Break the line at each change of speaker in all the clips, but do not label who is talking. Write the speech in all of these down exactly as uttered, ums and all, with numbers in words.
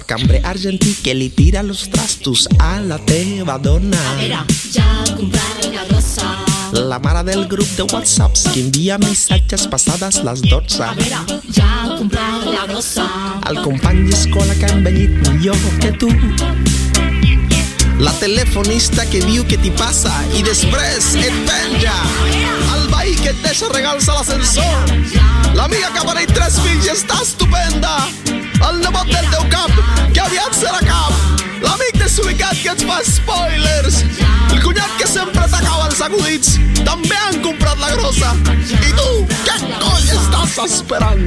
al cambrer argentí que li tira los trastos a la teva dona.
A veure, ja ha comprat la grossa.
La mare del grup de whatsapps que envia missatges passades les dotze.
A veure, ja ha comprat la grossa.
El company d'escola que ha envellit millor que tu. La telefonista que diu que t'hi passa i després et penja. El veí que et deixa regals a l'ascensor. L'amiga que ha parit tres fills i està estupenda. El nebot del teu cap que aviat serà cap. L'amic desubicat que et fa spoilers. El cunyat que sempre t'acaba els acudits. També han comprat la grossa. I tu, què coll estàs esperant?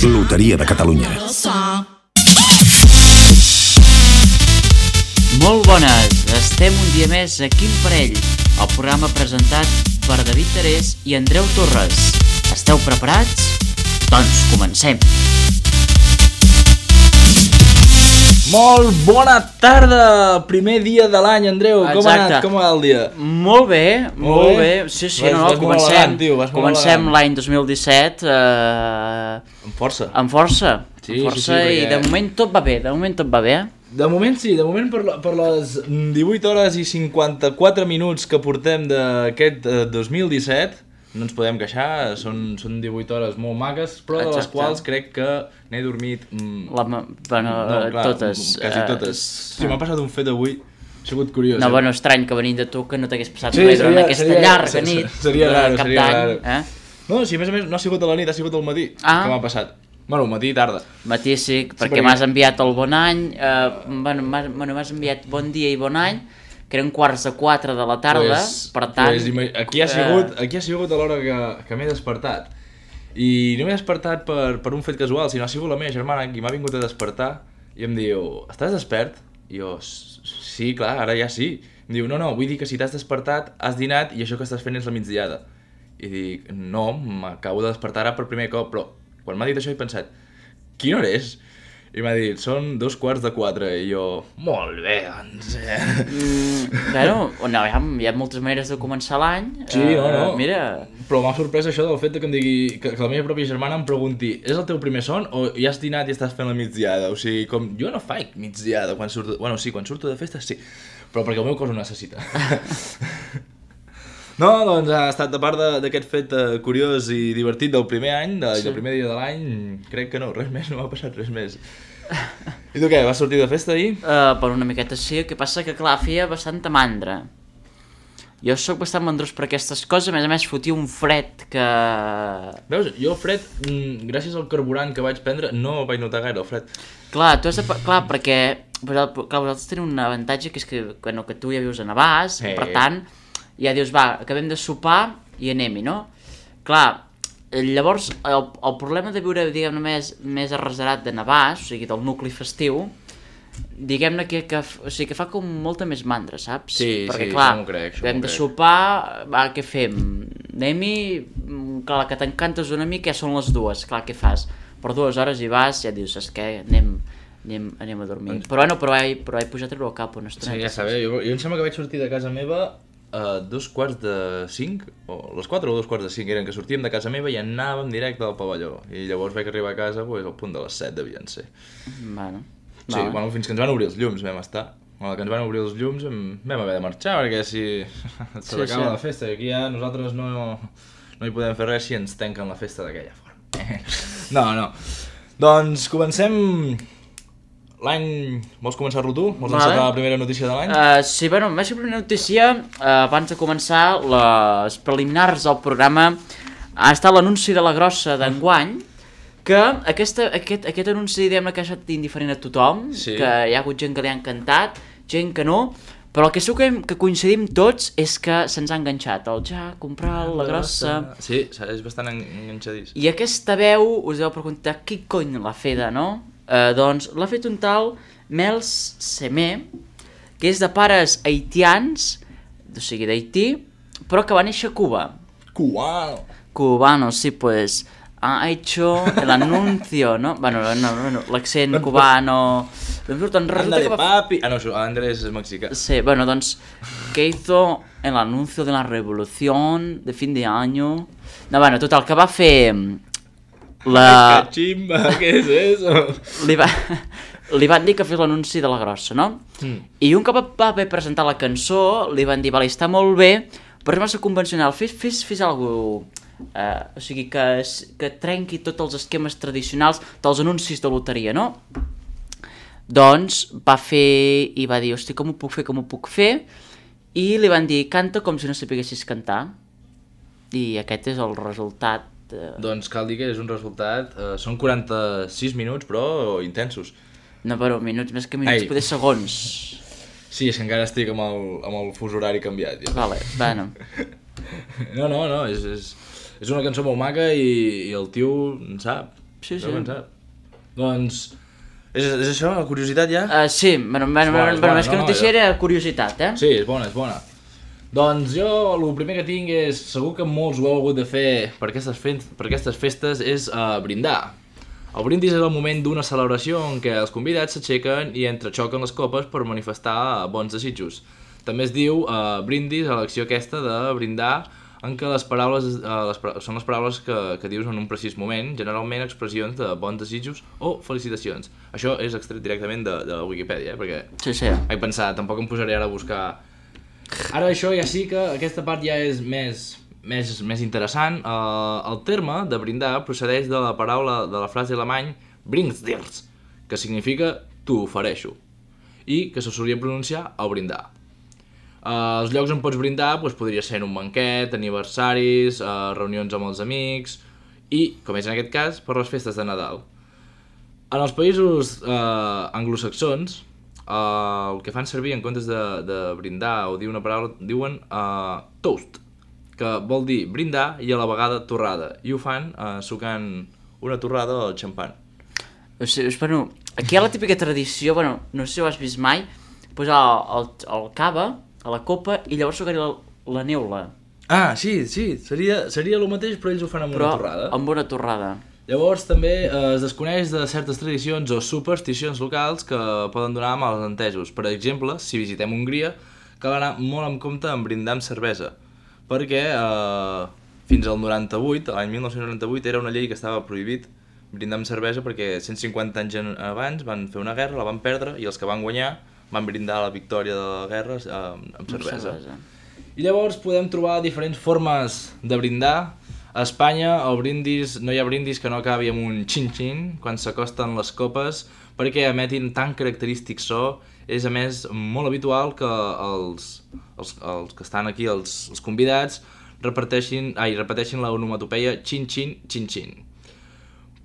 Loteria de Catalunya.
Molt bones, estem un dia més a Quin Parell, el programa presentat per David Terés i Andreu Torres. Esteu preparats? Doncs comencem!
Molt bona tarda! Primer dia de l'any, Andreu.
Exacte.
Com ha anat? Com va el dia?
Molt bé, molt,
Molt
bé.
bé.
Sí, sí,
Vas-
no, no,
vas molt
comencem.
elegant, tio, vas molt
Comencem
elegant.
l'any dos mil disset eh,
Amb força.
amb força.
Sí,
amb força
sí, sí, perquè-
i de moment tot va bé, de moment tot va bé.
De moment sí, de moment per, la, per les divuit hores i cinquanta-quatre minuts que portem d'aquest eh, dos mil disset no ens podem queixar, són, són divuit hores molt maques, però de les
Exacte.
quals crec que n'he dormit... Mm,
La, ma- bueno,
no, clar,
totes.
Quasi
eh,
totes. Sí, m'ha passat un fet avui, ha sigut curiós.
No,
eh?
bueno, estrany que venint de tu que no t'hagués passat
Sí,
res durant
seria-
aquesta
seria-
llarga
se- se-
nit
seria
de
raro,
cap
seria
d'any.
raro.
Eh?
No, si a més a més no ha sigut a la nit, ha sigut al matí
Ah.
que m'ha passat. Bueno, matí i tarda.
Matí sí, perquè
perquè-
m'has enviat el bon any, eh, bueno, m'has bueno, m'has enviat bon dia i bon any, que eren quarts de quatre de la tarda,
Pues-
per tant...
pues ima- aquí ha sigut, aquí ha sigut a l'hora que, que m'he despertat. I no m'he despertat per, per un fet casual, sinó ha sigut la meva germana qui m'ha vingut a despertar i em diu, estàs despert? I jo, "S- sí, clar, ara ja sí. Em diu, no, no, vull dir que si t'has despertat, has dinat i això que estàs fent és la migdiada. I dic, no, m'acabo de despertar ara per primer cop, però quan m'ha dit això he pensat, quina hora és? I m'ha dit, són dos quarts de quatre, i jo, molt bé, doncs... Eh.
Mm, bueno, no, hi ha, hi ha moltes maneres de començar l'any.
Sí, no, no.
Eh, mira,
Però m'ha sorprès això del fet de que em digui que, que la meva pròpia germana em pregunti és el teu primer son o ja has dinat i estàs fent la migdiada? O sigui, com jo no faig migdiada quan surto... Bueno, sí, quan surto de festa sí, però perquè el meu cos ho necessita. No, doncs ha estat, a part de- d'aquest fet eh, curiós i divertit del primer any, de, sí. del primer dia de l'any, crec que no, res més, no m'ha passat res més. I tu què, vas sortir de festa ahir?
uh, per una miqueta sí, el que passa que clar, feia bastanta mandra. Jo sóc bastant mandrós per aquestes coses, a més a més fotia un fred que...
Veus, jo el fred, mm, gràcies al carburant que vaig prendre, no vaig notar gaire el fred.
Clar, tu has de... Clar, perquè clar, vosaltres teniu un avantatge que és que, bueno, que tu ja vius a Navàs,
Sí.
per tant, ja dius, va, acabem de sopar i anem-hi, no? Clar, llavors, el, el problema de viure, diguem-ne, més, més arreserat de Navàs, o sigui, del nucli festiu, diguem-ne que, que, o sigui, que fa com molta més mandra, saps?
Sí,
perquè,
sí,
clar,
això m'ho crec, això
acabem
m'ho
de
crec.
sopar, va, què fem? Anem-hi, mm, clar, la que t'encantes una mica ja són les dues, clar, què fas? Per dues hores hi vas, ja dius, saps què, anem, anem, anem a dormir. Però bueno, però he, però he pujat a treure el cap una estoneta.
Sí, ja sabeu, jo, jo em sembla que vaig sortir de casa meva a dos quarts de cinc, o les quatre o dos quarts de cinc eren, que sortíem de casa meva i anàvem directe al pavelló. I llavors vaig arribar a casa pues, al punt de les set devien ser.
Bueno,
Sí,
vale.
bueno, fins que ens van obrir els llums vam estar. Bueno, que ens van obrir els llums em- vam haver de marxar, perquè si se
Sí,
l'acaba
sí.
la festa, i aquí ja nosaltres no, no hi podem fer res si ens tanquen la festa d'aquella forma. No, no. Doncs comencem l'any... Vols començar-lo tu? Vols
Vale.
encetar la primera notícia de l'any?
Uh, sí, bueno, més que primera notícia, uh, abans de començar les preliminars del programa, ha estat l'anunci de la grossa d'enguany, que aquesta, aquest, aquest anunci, diguem-ne, que ha estat indiferent a tothom,
Sí.
que hi ha hagut gent que li ha encantat, gent que no, però el que segur que, que coincidim tots és que se'ns ha enganxat, el ja, comprar la grossa...
Sí, és bastant en- enganxadís.
I aquesta veu, us deu preguntar, qui cony l'ha feta, no? Uh, doncs l'ha fet un tal Mels Semé, que és de pares haitians, o sigui d'Haití, però que va néixer a Cuba.
Cubano!
Cubano, sí, pues ha hecho el anuncio, ¿no? Bueno, no, no, no, l'accent cubano... Resulta
Ándale,
que va...
papi! Ah, no, això, Andrés és mexicà.
Sí, bueno, doncs, que hizo el anuncio de la revolución de fin de año... No, bueno, total, que va fer... La...
Cachimba, què és eso?
Li va, li van dir que fes l'anunci de la grossa, no? Mm. I un cop va haver presentat la cançó, li van dir, vale, està molt bé, però és massa convencional, fes, fes, fes alguna cosa, uh, o sigui, que, que trenqui tots els esquemes tradicionals dels anuncis de loteria, no? Doncs va fer i va dir, hosti, com ho puc fer, com ho puc fer? I li van dir, canta com si no sapiguessis cantar. I aquest és el resultat. Uh...
Doncs cal dir que és un resultat, uh, són quaranta-sis minuts, però intensos.
No, però minuts més que minuts,
Ai.
poder segons.
Sí, és que encara estic amb el, amb el fus horari canviat. Ja.
Vale, bueno.
No, no, no, és, és, és una cançó molt maca i, i el tio en sap.
Sí, sí.
En sap. Doncs, és, és això, la curiositat ja?
Uh, sí, bueno, bueno,
bona,
bueno,
bona,
més que
no,
notícia
jo...
era curiositat, eh?
Sí, és bona, és bona. Doncs jo, el primer que tinc és, segur que molts ho heu hagut de fer per aquestes, fe per aquestes festes, és uh, brindar. El brindis és el moment d'una celebració en què els convidats s'aixequen i entrexoquen les copes per manifestar bons desitjos. També es diu uh, brindis a l'acció aquesta de brindar, en què les paraules uh, les, són les paraules que, que dius en un precís moment, generalment expressions de bons desitjos o felicitacions. Això és extret directament de, de la Wikipedia, eh? Perquè
sí, sí.
Vaig pensar, tampoc em posaré ara a buscar... Ara això ja sí que aquesta part ja és més... Més, més interessant, uh, el terme de brindar procedeix de la paraula de la frase alemany bringsdirs, que significa t'ho ofereixo, i que se solia pronunciar al brindar. Uh, els llocs on pots brindar pues, podria ser en un banquet, aniversaris, uh, reunions amb els amics i, com és en aquest cas, per les festes de Nadal. En els països uh, anglosaxons, uh, el que fan servir en comptes de, de brindar o dir una paraula, diuen uh, toast, que vol dir brindar i a la vegada torrada, i ho fan eh, sucant una torrada al xampan.
O sigui, bueno, aquí hi ha la típica tradició, bueno, no sé si ho has vist mai, posar el, el cava a la copa i llavors sucar la, la neula.
Ah, sí, sí, seria, seria el mateix, però ells ho fan amb
però
una torrada.
amb una torrada.
Llavors també eh, es desconeix de certes tradicions o supersticions locals que poden donar mals entesos. Per exemple, si visitem Hongria, cal anar molt en compte en brindar amb cervesa, perquè eh, fins al noranta-vuit, l'any mil nou-cents noranta-vuit, era una llei que estava prohibit brindar amb cervesa perquè cent cinquanta anys abans van fer una guerra, la van perdre, i els que van guanyar van brindar la victòria de la guerra eh, amb cervesa. cervesa. I llavors podem trobar diferents formes de brindar. A Espanya el brindis, no hi ha brindis que no acabi amb un xin-xin quan s'acosten les copes perquè emetin tan característic so. És a més molt habitual que els, els, els que estan aquí, els, els convidats, reparteixin, ai, repeteixin l'onomatopeia xin-xin, xin-xin.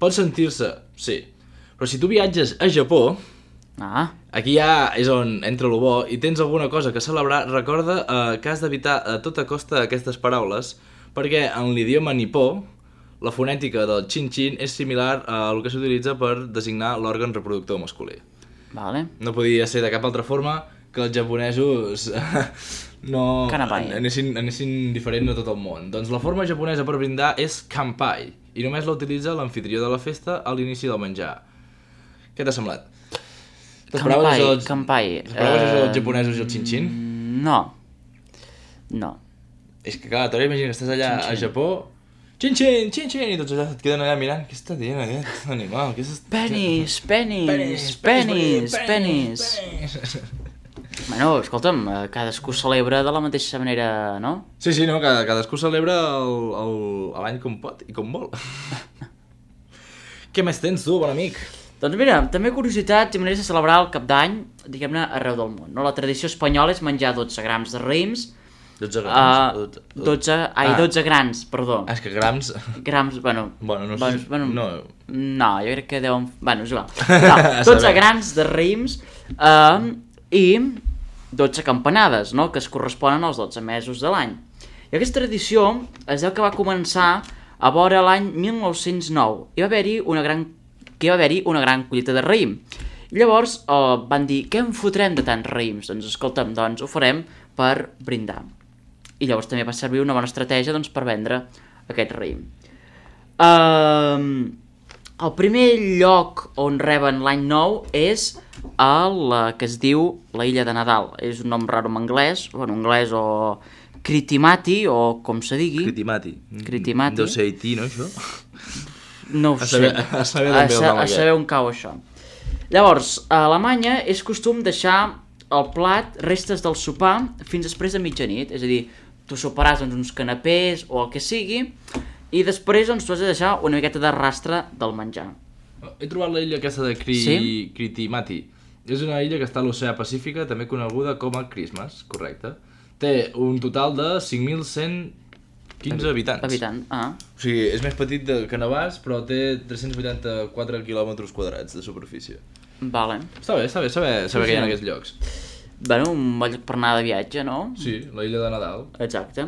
Pot sentir-se, sí, però si tu viatges a Japó,
ah.
aquí ja és on entra lo bo, i tens alguna cosa que celebrar, recorda eh, que has d'evitar a tota costa aquestes paraules, perquè en l'idioma nipó, la fonètica del xin-xin és similar a el que s'utilitza per designar l'òrgan reproductor masculí.
Vale.
No podia ser de cap altra forma que els japonesos no anessin, anessin diferent a tot el món. Doncs la forma japonesa per brindar és kanpai, i només la utilitza l'anfitrió de la festa a l'inici del menjar. Què t'ha semblat?
Kanpai, els... kanpai.
T'esperaves uh... els japonesos i el xin-xin?
No. No.
És que clar, t'hora imagina que estàs allà xin -xin. a Japó, xin-xin, xin-xin, i tots allà et queden allà mirant, què està dient aquest animal?
Penis, penis, penis, penis. Bueno, escolta'm, cadascú celebra de la mateixa manera, no?
Sí, sí, no, cadascú celebra l'any com pot i com vol. Què més tens tu, bon amic?
Doncs mira, també curiositats i maneres de celebrar el cap d'any, diguem-ne, arreu del món. No? La tradició espanyola és menjar dotze grams de raïms,
dotze grams? Uh,
dotze, ai, ah. dotze grams, perdó.
Ah, és que grams...
Grams, bueno...
Bueno, no sé...
Bueno, bueno,
no.
no, jo crec que deuen... Bueno, és igual. No, dotze grams de raïms uh, i dotze campanades, no?, que es corresponen als dotze mesos de l'any. I aquesta tradició es deu que va començar a vora l'any mil nou-cents nou. Hi va haver-hi una gran... que hi va haver-hi una gran collita de raïm. I llavors uh, van dir, què en fotrem de tants raïms? Doncs escolta'm, doncs ho farem per brindar. I llavors també va servir una bona estratègia doncs, per vendre aquest raïm. Uh, el primer lloc on reben l'any nou és a la que es diu la Illa de Nadal. És un nom raro en anglès, o en anglès o Critimati, o com se digui.
Critimati.
Critimati.
Deu ser Haití, no, això?
No ho sé.
A saber, a saber, a
sa a saber on cau això. Llavors, a Alemanya és costum deixar el plat, restes del sopar, fins després de mitjanit. És a dir, tu soparàs doncs, uns canapés o el que sigui, i després doncs, tu has de deixar una miqueta de rastre del menjar.
He trobat la illa aquesta de Cri... sí? Critimati. És una illa que està a l'oceà Pacífica, també coneguda com a Christmas, correcte. Té un total de cinc mil cent quinze habitants.
Habitant, ah.
O sigui, és més petit que Navàs, però té tres-cents vuitanta-quatre quilòmetres quadrats de superfície.
Vale.
Està bé, està bé saber, saber
Sí,
que hi ha
sí.
en aquests llocs.
Bueno, un bon lloc per anar de viatge, no?
Sí, la illa de Nadal.
Exacte.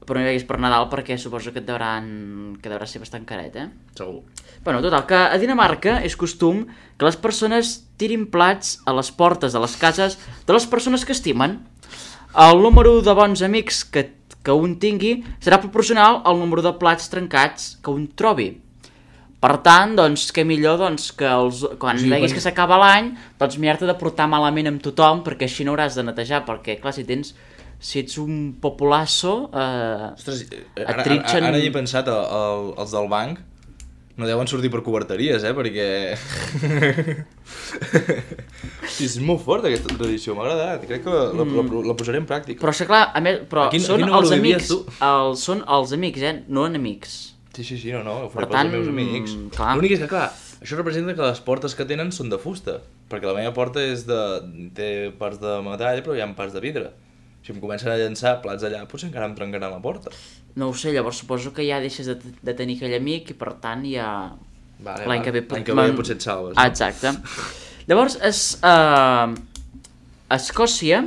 Però no hi vagis per Nadal perquè suposo que et devran... que deurà ser bastant caret, eh?
Segur.
Bueno, total, que a Dinamarca és costum que les persones tirin plats a les portes de les cases de les persones que estimen. El número de bons amics que, que un tingui serà proporcional al número de plats trencats que un trobi. Per tant, doncs, què millor doncs, que els, quan
Sí,
veguis
quan-
que s'acaba l'any, doncs m'hi-has de portar malament amb tothom, perquè així no hauràs de netejar, perquè, clar, si tens... si ets un populasso... Eh,
Ostres,
et
ara, ara,
trinxen-
ara hi he pensat, el, el, els del banc no deuen sortir per coberteries, eh, perquè... Hosti, és molt fort aquesta tradició, m'ha agradat, crec que la, la, la, la posaré en pràctica.
Però, és clar, a més, però
A quin- a
són
quin número
els
vivies,
amics,
tu?
el, són els amics, eh, no enemics.
Sí, sí, sí, no, no, ho faré
Per
pels
tant,
meus amics.
clar.
L'únic és que, clar, això representa que les portes que tenen són de fusta, perquè la meva porta és de... té parts de metall, però hi ha parts de vidre. Si em comencen a llançar plats allà, potser encara em trencaran la porta.
No ho sé, llavors suposo que ja deixes de, de tenir aquell amic i per tant ja...
Vale,
l'any
vale.
que ve,
L'any que ve potser et salves.
Ah, exacte. Llavors, es, uh, a Escòcia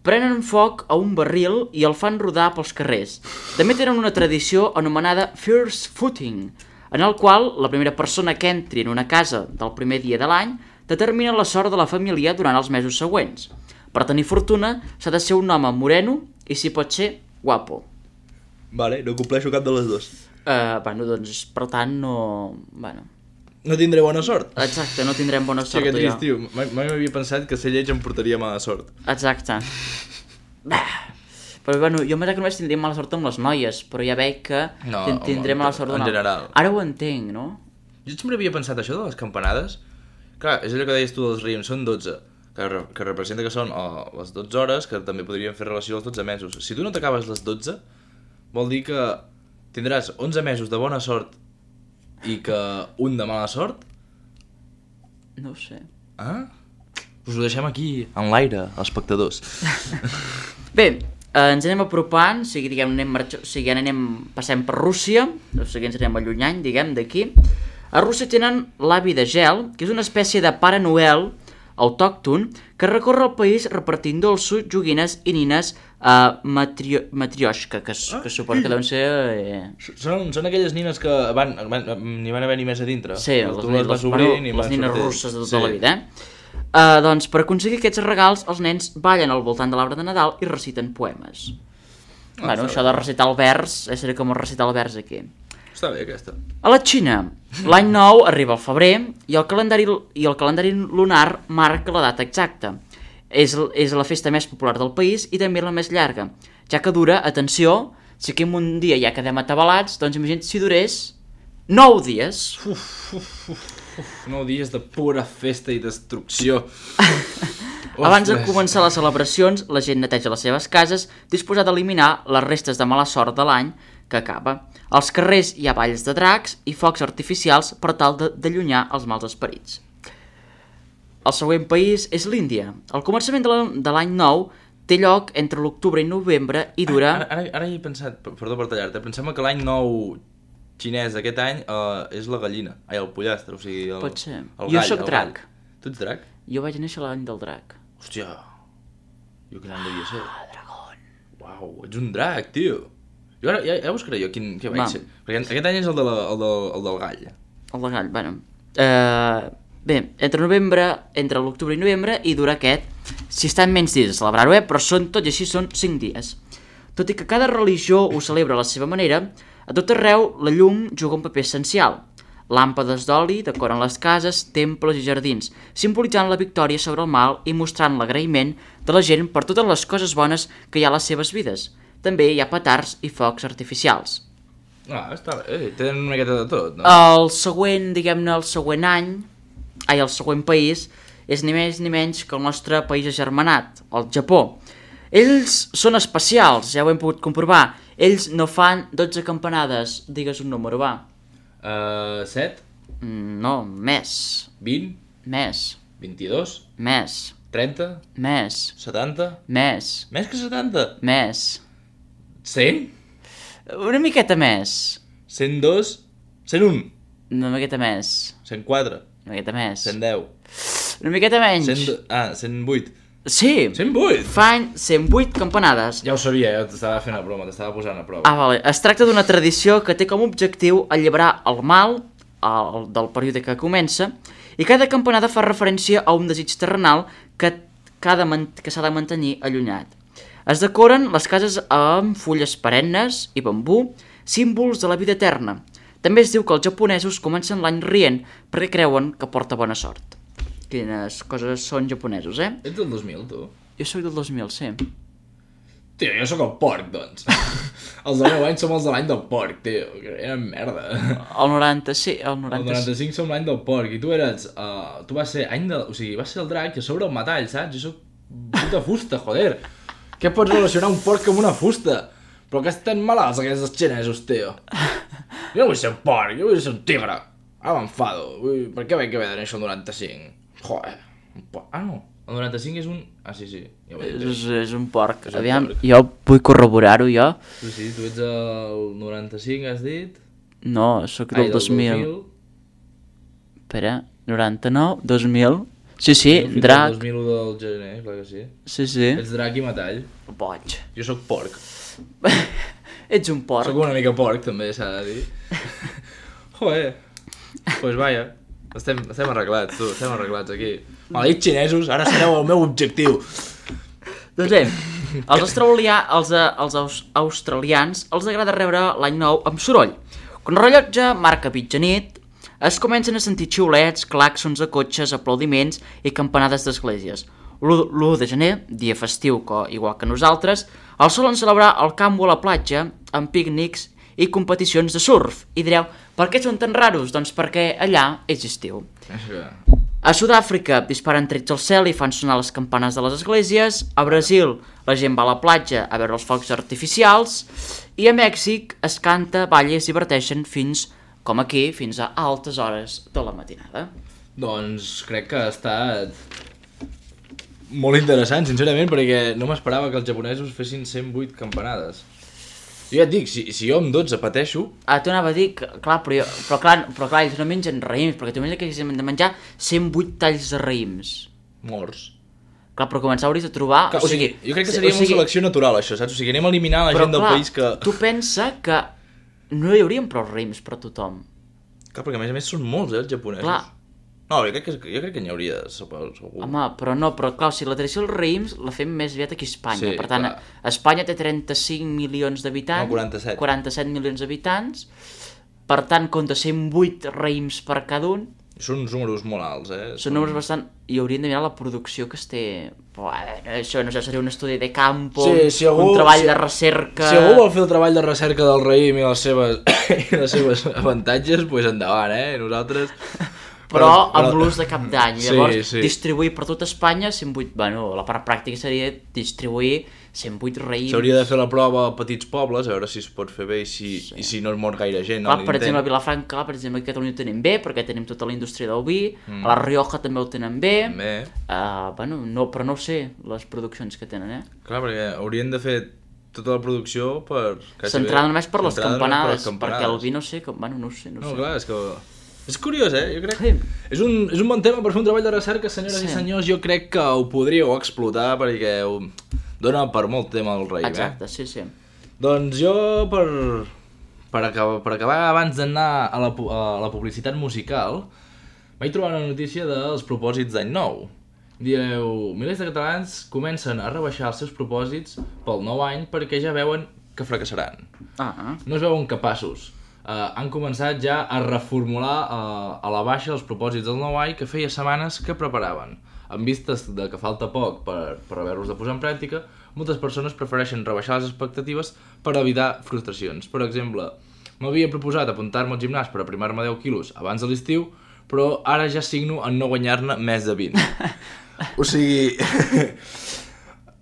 prenen foc a un barril i el fan rodar pels carrers. També tenen una tradició anomenada First Footing, en el qual la primera persona que entri en una casa del primer dia de l'any determina la sort de la família durant els mesos següents. Per tenir fortuna s'ha de ser un home moreno i, si pot ser, guapo.
Vale, no compleixo cap de les dues.
Uh, bueno, doncs, per tant, no... Bueno,
No tindré bona sort.
exacte, no tindrem bona
Sí,
sort,
que
tu i
trist,
jo.
tio. Mai mai m'havia pensat que ser lleig em portaria mala sort.
Exacte. Bah. Però, bueno, jo m'he que només tindria mala sort amb les noies, però ja veig que
No,
tin- tindré
home,
mala sort
en
d'una-
general.
Ara ho entenc, no?
Jo sempre havia pensat això de les campanades. Clar, és allò que deies tu dels rims, són dotze, que, re que representa que són oh, les dotze hores, que també podrien fer relació als dotze mesos. Si tu no t'acabes les dotze, vol dir que tindràs onze mesos de bona sort i que un de mala sort?
No ho sé.
Ah? Us ho deixem aquí, en l'aire, els espectadors.
Bé, eh, ens anem apropant, o sigui, diguem, anem, marxa, o sigui, anem, passem per Rússia, o sigui, ens anem allunyant, diguem, d'aquí. A Rússia tenen l'avi de gel, que és una espècie de Pare Noel autòcton que recorre el país repartint dolços, joguines i nines a matrio matrioshka, que, ah, que suposo que deuen ser... Eh...
Són, són aquelles nines que van, van, n'hi van haver ni més a dintre.
Sí, les,
tu
les,
les vas
les,
obrint
bueno,
i
les
van
nines
sortint.
russes de tota
Sí.
la vida, eh? Uh, doncs per aconseguir aquests regals, els nens ballen al voltant de l'arbre de Nadal i reciten poemes.
Ah,
bueno,
està
això
bé.
de recitar el vers, és com recitar el vers aquí.
Està bé, aquesta.
A la Xina, l'any nou arriba al febrer i el calendari, i el calendari lunar marca la data exacta. És, és la festa més popular del país i també la més llarga, ja que dura, atenció, si aquí en un dia ja quedem atabalats, doncs imagina't si durés nou dies.
Uf, uf, uf, uf, nou dies de pura festa i destrucció.
Abans de
Ostres.
començar les celebracions, la gent neteja les seves cases, disposada a eliminar les restes de mala sort de l'any que acaba. Als carrers hi ha balls de dracs i focs artificials per tal d'allunyar els mals esperits. El següent país és l'Índia. El començament de l'any nou té lloc entre l'octubre i novembre i dura...
Ara, ara, ara hi he pensat, perdó per tallar-te, pensem que l'any nou xinès d'aquest any uh, és la gallina, ai, el pollastre, o sigui... El,
Pot ser.
El
Jo
gall,
sóc
el
drac.
gall. Tu ets drac?
Jo vaig néixer l'any del drac.
Hòstia, jo quin any devia ser? Ah, dragón. Uau, ets un drac, tio. Jo ara, ja, ja buscaré jo quin, què vaig
Va.
ser. Perquè aquest any és el, de la, el, del, el del gall.
El de gall, bueno. Uh, bé, entre novembre, entre l'octubre i novembre, i dura aquest. Si estan menys dies a celebrar-ho, eh? Però són, tot i així són cinc dies. Tot i que cada religió ho celebra a la seva manera, a tot arreu la llum juga un paper essencial. Làmpades d'oli decoren les cases, temples i jardins, simbolitzant la victòria sobre el mal i mostrant l'agraïment de la gent per totes les coses bones que hi ha a les seves vides. També hi ha petards i focs artificials.
Ah, està bé, eh, tenen una miqueta de tot, no?
El següent, diguem-ne, el següent any, ai, el següent país és ni més ni menys que el nostre país agermanat, el Japó. Ells són especials, ja ho hem pogut comprovar. Ells no fan dotze campanades, digues un número, va.
Uh, set?
Mm, no, més.
vint?
Més.
vint-i-dos?
Més.
trenta?
Més.
setanta?
Més.
Més que setanta?
Més.
cent?
Una miqueta més.
cent dos? cent un?
Una miqueta més.
cent quatre?
Una miqueta més.
cent deu?
Una miqueta menys.
cent... Ah, cent vuit?
Sí.
cent vuit?
Fan cent vuit campanades.
Ja ho sabia, ja t'estava fent a broma, t'estava posant a prova.
Ah, vale. Es tracta d'una tradició que té com a objectiu alliberar el mal el, del període que comença, i cada campanada fa referència a un desig terrenal que, que, que s'ha de mantenir allunyat. Es decoren les cases amb fulles perennes i bambú, símbols de la vida eterna. També es diu que els japonesos comencen l'any rient perquè creuen que porta bona sort. Quines coses són japonesos, eh?
Ets del dos mil, tu?
Jo sóc del dos mil, sí.
Tio, jo sóc el porc, doncs. Els del meu any som els de l'any del porc, tio. Que eren merda.
El noranta, sí, el noranta.
El noranta-cinc som l'any del porc, i tu eres... Uh, tu vas ser any de... O sigui, vas ser el drac i a sobre el metall, saps? Jo sóc puta fusta, joder. Què pots relacionar un porc amb una fusta? Però que estan malalts aquests xinesos, tio. Jo no vull ser un porc, jo vull ser un tigre. Ara m'enfado. Vull... Per què vaig haver de néixer el noranta-cinc? Joder, un porc... Ah, no. El noranta-cinc és un... Ah, sí, sí. Ja ho he dit.
És, és un porc.
És un
Aviam,
porc.
jo vull corroborar-ho, jo.
Sí, sí, tu ets el noranta-cinc, has dit?
No, sóc del,
Ai,
dos mil. Espera, noranta-nou, dos mil. Sí, sí,
Fins
drac.
al dos mil u del gener, clar que sí.
Sí, sí.
Ets drac i metall.
Boig.
Jo sóc porc.
Ets un porc.
Sóc una mica porc, també, s'ha de dir. Joder. Doncs pues vaja. Estem, estem arreglats, tu. Estem arreglats aquí. Maleïts xinesos, ara sereu el meu objectiu.
Doncs bé, als, australià, als, eh, als aus, australians els agrada rebre l'any nou amb soroll. Quan el rellotge marca mitjanit, es comencen a sentir xiulets, claxons de cotxes, aplaudiments i campanades d'esglésies. l'u de gener, dia festiu igual que nosaltres, el solen celebrar al camp o a la platja amb pícnics i competicions de surf. I direu, per què són tan raros? Doncs perquè allà és estiu. A Sud-àfrica disparen trets al cel i fan sonar les campanes de les esglésies. A Brasil la gent va a la platja a veure els focs artificials. I a Mèxic es canta, balla i es diverteixen fins, com aquí, fins a altes hores de la matinada.
Doncs crec que ha estat molt interessant, sincerament, perquè no m'esperava que els japonesos fessin cent vuit campanades. Jo ja et dic, si, si jo amb dotze pateixo...
Ah, t'ho anava a dir, que, clar, però, jo, però, clar, però clar, ells no mengen raïms, perquè tu imagina que haguéssim de menjar cent vuit talls de raïms.
Morts.
Clar, però començar hauries de trobar...
Clar, o, sigui, jo crec que seria o sigui, una selecció natural, això, saps? O sigui, anem a eliminar la
però,
gent del
clar,
país que...
tu pensa que no hi haurien prou raïms per a tothom.
Clar, perquè a més a més són molts, eh, els japonesos.
Clar.
No, jo crec que, jo crec que n'hi hauria, segur.
Home, però no, però clar, o sigui, la tradició dels raïms la fem més aviat aquí a Espanya.
Sí,
per tant,
clar.
Espanya té trenta-cinc milions d'habitants.
No, quaranta-set.
quaranta-set milions d'habitants. Per tant, compta cent vuit raïms per cada un.
Són uns números molt alts, eh?
Són números bastant... I haurien de mirar la producció que es té... Però, eh, això no sé, seria un estudi de campo,
sí, si algú,
un treball
si,
de recerca...
Si algú vol fer el treball de recerca del raïm i les seves, i les seves avantatges, doncs pues endavant, eh? Nosaltres...
Però, però amb l'ús de cap d'any. Llavors,
sí, sí.
distribuir per tot Espanya cent vuit... Bueno, la part pràctica seria distribuir cent vuit raïms.
S'hauria de fer la prova a petits pobles, a veure si es pot fer bé i si, sí. i si no es mor gaire gent.
Clar, per exemple, a Vilafranca, per exemple, a Catalunya ho tenen bé, perquè tenim tota la indústria del vi, mm. a la Rioja també ho tenen bé.
També.
Uh, bueno, no, però no ho sé, les produccions que tenen, eh?
Clar, perquè haurien de fer tota la producció per...
Centrada només per les campanades,
per les campanades,
perquè el vi no sé, com... bueno, no ho sé, no,
no
sé.
Clar, és que... És curiós, eh? Jo crec...
Sí.
És un, és un bon tema per fer un treball de recerca, senyores
Sí.
i senyors. Jo crec que ho podríeu explotar perquè ho dona per molt tema el raïm,
Exacte,
eh?
sí, sí.
Doncs jo, per, per, acabar, per acabar abans d'anar a, la, a la publicitat musical, vaig trobar una notícia dels propòsits d'any nou. Direu, milers de catalans comencen a rebaixar els seus propòsits pel nou any perquè ja veuen que fracassaran.
Ah,
No es veuen capaços. Uh, han començat ja a reformular uh, a la baixa els propòsits del nou any que feia setmanes que preparaven. En vistes de que falta poc per, per haver-los de posar en pràctica, moltes persones prefereixen rebaixar les expectatives per evitar frustracions. Per exemple, m'havia proposat apuntar-me al gimnàs per aprimar-me deu quilos abans de l'estiu, però ara ja signo en no guanyar-ne més de vint. O sigui...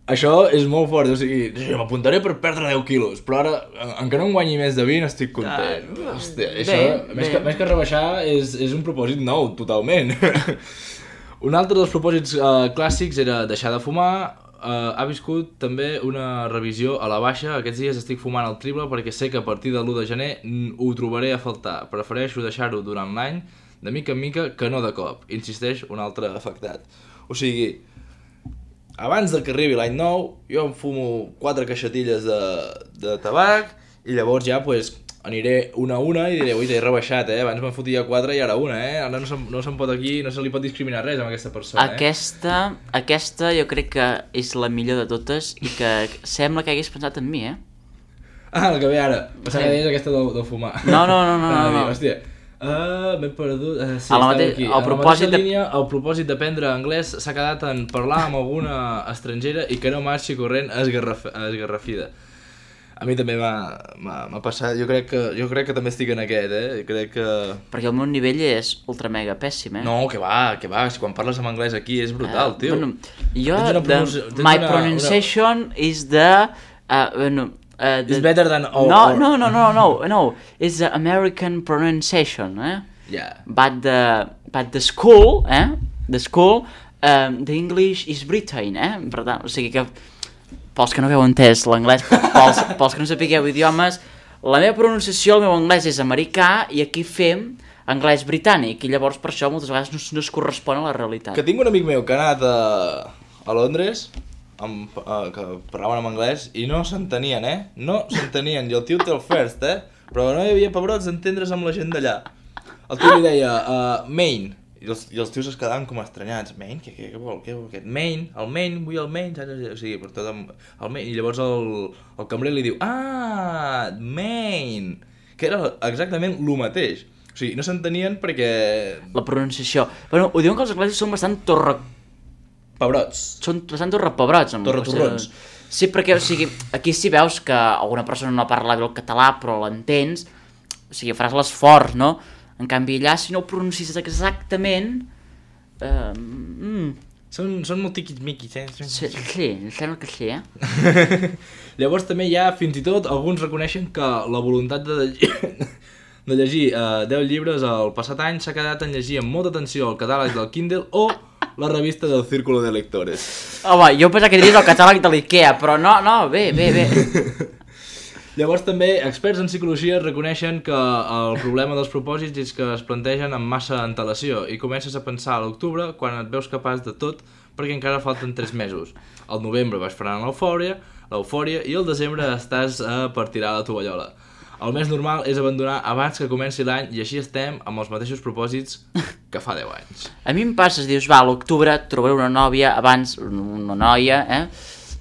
Això és molt fort, o sigui, m'apuntaré per perdre deu quilos, però ara, en que no em guanyi més de vint, estic content. Ah, hòstia, això, bé, més, bé. Que, més que rebaixar, és, és un propòsit nou, totalment. Un altre dels propòsits uh, clàssics era deixar de fumar. Uh, ha viscut també una revisió a la baixa. Aquests dies estic fumant el triple perquè sé que a partir de l'u de gener ho trobaré a faltar. Prefereixo deixar-ho durant l'any, de mica en mica, que no de cop. Insisteix un altre afectat. O sigui... Abans de que arribi l'any nou, jo em fumo quatre caixetilles de, de tabac i llavors ja pues, aniré una a una i diré, ui, he rebaixat, eh? Abans me'n fotia quatre i ara una, eh? Ara no, se, no se'n pot aquí, no se li pot discriminar res amb aquesta persona,
aquesta, eh? Aquesta jo crec que és la millor de totes i que sembla que hagués pensat en mi, eh?
Ah, el que ve ara. Pensava que deies aquesta de, de fumar.
No, no, no, no. no, no.
Hòstia. Uh, m'he perdut, uh, sí,
a la mate...
aquí.
El
a la
propòsit
mateixa línia, el propòsit d'aprendre anglès s'ha quedat en parlar amb alguna estrangera i que no marxi corrent esgarraf... esgarrafida. A mi també m'ha passat, jo crec, que, jo crec que també estic en aquest, eh? Crec que...
Perquè el meu nivell és ultra mega pèssim, eh?
No, que va, que va, si quan parles en anglès aquí és brutal, uh, tio.
Bueno, jo, the, my una, pronunciation una... is the... Uh, bueno, Uh, the...
It's better than... Oh,
no,
or...
no, no, no, no, no. It's the American pronunciation, eh?
Yeah.
But the, but the school, eh? The school, um, the English is Britain, eh? Per tant, o sigui que, pels que no hagueu entès l'anglès, pels, pels que no sapigueu idiomes, la meva pronunciació, el meu anglès és americà i aquí fem anglès britànic i llavors per això moltes vegades no, no es correspon a la realitat.
Que tinc un amic meu que ha anat a, a Londres... Amb, uh, que parlaven en anglès i no s'entenien, eh? No s'entenien, i el tio té el first, eh? Però no hi havia pebrots d'entendre's amb la gent d'allà. El tio li deia, uh, main, i els, i els tios es quedaven com estranyats. Main? Què, què, què vol? Què vol aquest? Main? El main? Vull el main? O sigui, per tot el, el main. I llavors el, el cambrer li diu, ah, main! Que era exactament el mateix. O sigui, no s'entenien perquè...
La pronunciació. Bueno, ho diuen que els anglesos són bastant torre...
Pebrots.
Són bastant torrepebrots.
Torretorrons.
Sí, perquè, o sigui, aquí sí veus que alguna persona no parla bé el català, però l'entens, o sigui, faràs l'esforç, no? En canvi, allà, si no ho pronuncies exactament... Uh, mm.
Són, són molt tiquis-miquis, eh?
Sí, sí, em sembla que sí, eh?
Llavors també hi ha, fins i tot, alguns reconeixen que la voluntat de llegir, de llegir uh, deu llibres el passat any s'ha quedat en llegir amb molta atenció el catàleg del Kindle o la revista del Círculo de Lectores.
Home, jo pensava que diries el catàleg de l'Ikea, però no, no, bé, bé, bé.
Llavors també experts en psicologia reconeixen que el problema dels propòsits és que es plantegen amb massa antelació i comences a pensar a l'octubre quan et veus capaç de tot perquè encara falten tres mesos. Al novembre vas frenant l'eufòria, l'eufòria i al desembre estàs a per tirar la tovallola. El més normal és abandonar abans que comenci l'any i així estem amb els mateixos propòsits que fa deu anys.
A mi em passes, dius, va, a l'octubre trobaré una nòvia abans, una noia, eh?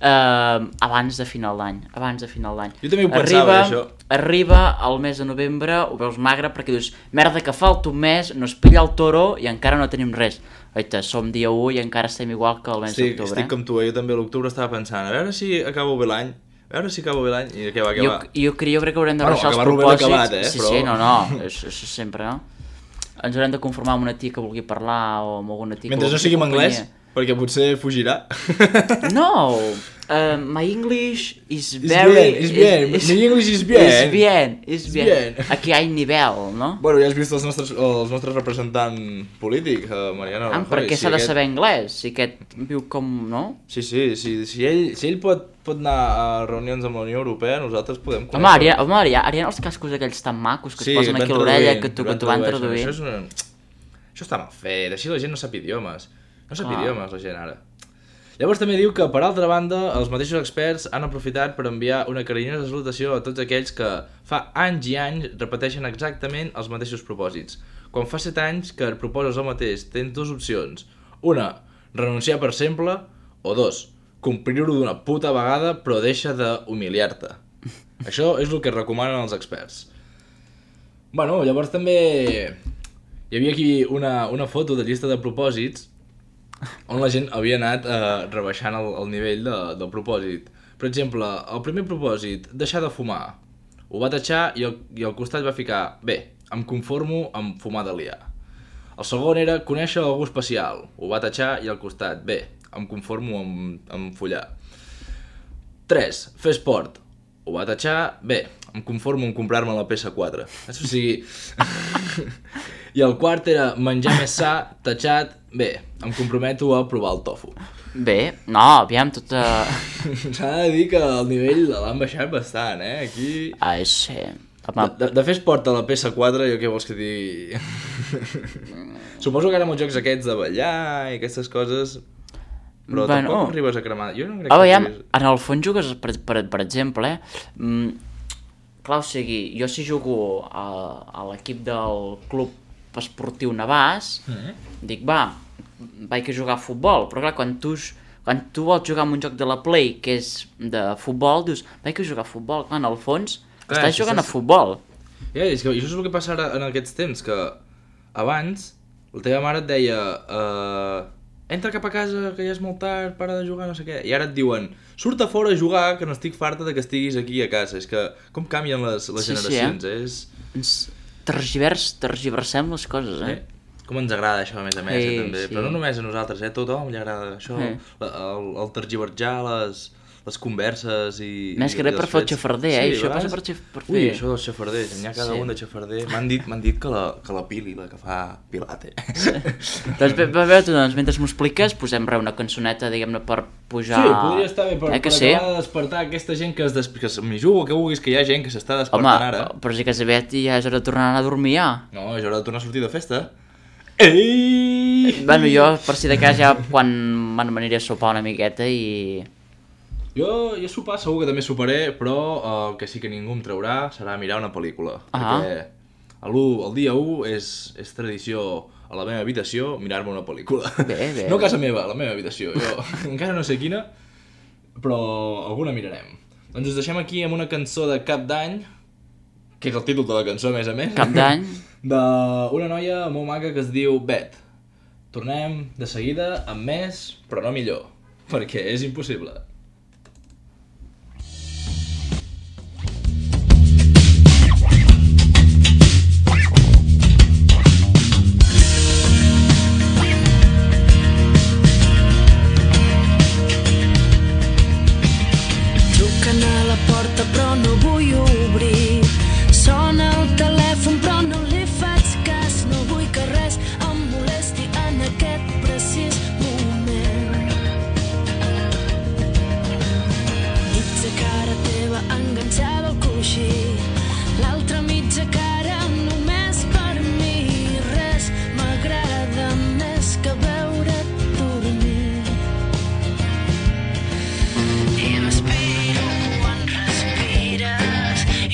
Uh, abans de final d'any, abans de final d'any.
Jo també ho pensava,
arriba,
això.
Arriba el mes de novembre, ho veus magre, perquè dius, merda que falta un mes, no es pilla el toro i encara no tenim res. Oita, som dia u i encara estem igual que el mes
sí,
d'octubre.
Estic eh? com tu, eh? Jo també a l'octubre estava pensant, a veure si acabo bé l'any, a veure si acabo bé l'any, i què va, què
jo,
va?
Jo, jo crec que haurem de
bueno,
baixar els propòsits.
Acabat, eh?
Sí,
però...
sí, no, no, és, és sempre, no? Ens haurem de conformar amb una tia que vulgui parlar o amb alguna tia
mentre
que
no sigui en anglès, perquè potser fugirà.
No, uh, my English is very...
És bien, és bien, my English is bien.
És bien, és bien. Aquí hi ha nivell, no?
Bueno, ja has vist els nostres, els nostres representants polítics, uh, Mariano
ah,
Rajoy.
Per què
si
s'ha de
aquest...
saber anglès? Si aquest viu com, no?
Sí, sí, sí si, ell, si ell pot, pot anar a reunions amb la Unió Europea, nosaltres podem...
Home, Ariana, home, Ariana, els cascos aquells tan macos que
sí,
es posen aquí a l'orella, que tu, que tu van traduint.
Això, és una... Això està mal fet, així la gent no sap idiomes. No sap ah. idiomes, la gent, ara. Llavors també diu que, per altra banda, els mateixos experts han aprofitat per enviar una carinyosa salutació a tots aquells que fa anys i anys repeteixen exactament els mateixos propòsits. Quan fa set anys que et proposes el mateix, tens dues opcions. Una, renunciar per sempre, o dos, complir-ho d'una puta vegada però deixa d'humiliar-te. Això és el que recomanen els experts. Bueno, llavors també hi havia aquí una, una foto de llista de propòsits on la gent havia anat eh, rebaixant el, el nivell de, del propòsit. Per exemple, el primer propòsit, deixar de fumar. Ho va tatxar i, el, i al costat va ficar, bé, em conformo amb fumar d'aliar. El segon era conèixer algú especial. Ho va tatxar i al costat. Bé, em conformo amb, amb follar. tres. Fer esport. Ho va tatxar. Bé, em conformo amb comprar-me la P S quatre. O sigui... I el quart era menjar més sa, tatxat. Bé, em comprometo a provar el tofu.
Bé, no, aviam, tota...
S'ha de dir que el nivell l'han baixat bastant, eh? Aquí...
Ai, sí.
De, de, de fer esport a la P S quatre, jo què vols que digui... Suposo que ara amb els jocs aquests de ballar i aquestes coses... Però bueno, tampoc arribes a cremar. Jo no crec
oh,
que
ja,
arribis...
en el fons jugues, per, per, per exemple, mm, clar, o sigui, jo si jugo a, a l'equip del club esportiu Navàs, mm-hmm. dic, va, vaig a jugar a futbol, però clar, quan tu, quan tu vols jugar en un joc de la Play que és de futbol, dius, vaig a jugar a futbol, clar, en el fons clar, estàs jugant estàs... a futbol.
Ja, és que això és el que passa ara en aquests temps, que abans la teva mare et deia... Uh... entra cap a casa, que ja és molt tard, para de jugar, no sé què. I ara et diuen, surt a fora a jugar, que no estic farta de que estiguis aquí a casa. És que com canvien les, les sí, generacions, sí, eh? És...
Ens tergivers, tergiversem les coses, eh?
eh? Com ens agrada això, a més a més, sí, eh, també. Sí. Però no només a nosaltres, eh? A tothom li agrada això, sí. el, el tergiversar les... les converses i...
Més que res per fer el xafarder, eh? Sí, això passa per, per fer...
Ui, això dels xafarders, n'hi ha cada sí. un de xafarder. M'han dit, m'han dit que, la, que la Pili, la que fa Pilate.
Sí. Doncs bé, bé, tu, doncs, mentre m'ho expliques, posem re una cançoneta, diguem-ne, per pujar...
Sí, podria estar bé, per,
eh,
per
sí?
acabar de despertar aquesta gent que es des... que m'hi jugo, que vulguis, que hi ha gent que s'està despertant
Home,
ara.
Home, però si que aviat ja és hora de tornar a anar a dormir, ja.
No, és hora de tornar a sortir de festa. Ei!
Bueno, jo, per si de cas, ja quan m'aniré a sopar una miqueta i...
Jo, jo sopar segur que també soparé, però el que sí que ningú em traurà serà mirar una pel·lícula. Ah. Perquè el, el dia u és, és tradició a la meva habitació mirar-me una pel·lícula.
Bé, bé.
No a casa meva, a la meva habitació. Jo encara no sé quina, però alguna mirarem. Doncs us deixem aquí amb una cançó de Cap d'Any, que és el títol de la cançó, a més a més.
Cap d'Any.
D'una noia molt maca que es diu Bet. Tornem de seguida amb més, però no millor, perquè és impossible.
Però no vull obrir. Sona el telèfon però no li faig cas. No vull que res em molesti en aquest precís moment. Mitja cara teva enganxada al coixí, l'altra mitja cara només per mi. Res m'agrada més que veure't dormir. I m'espero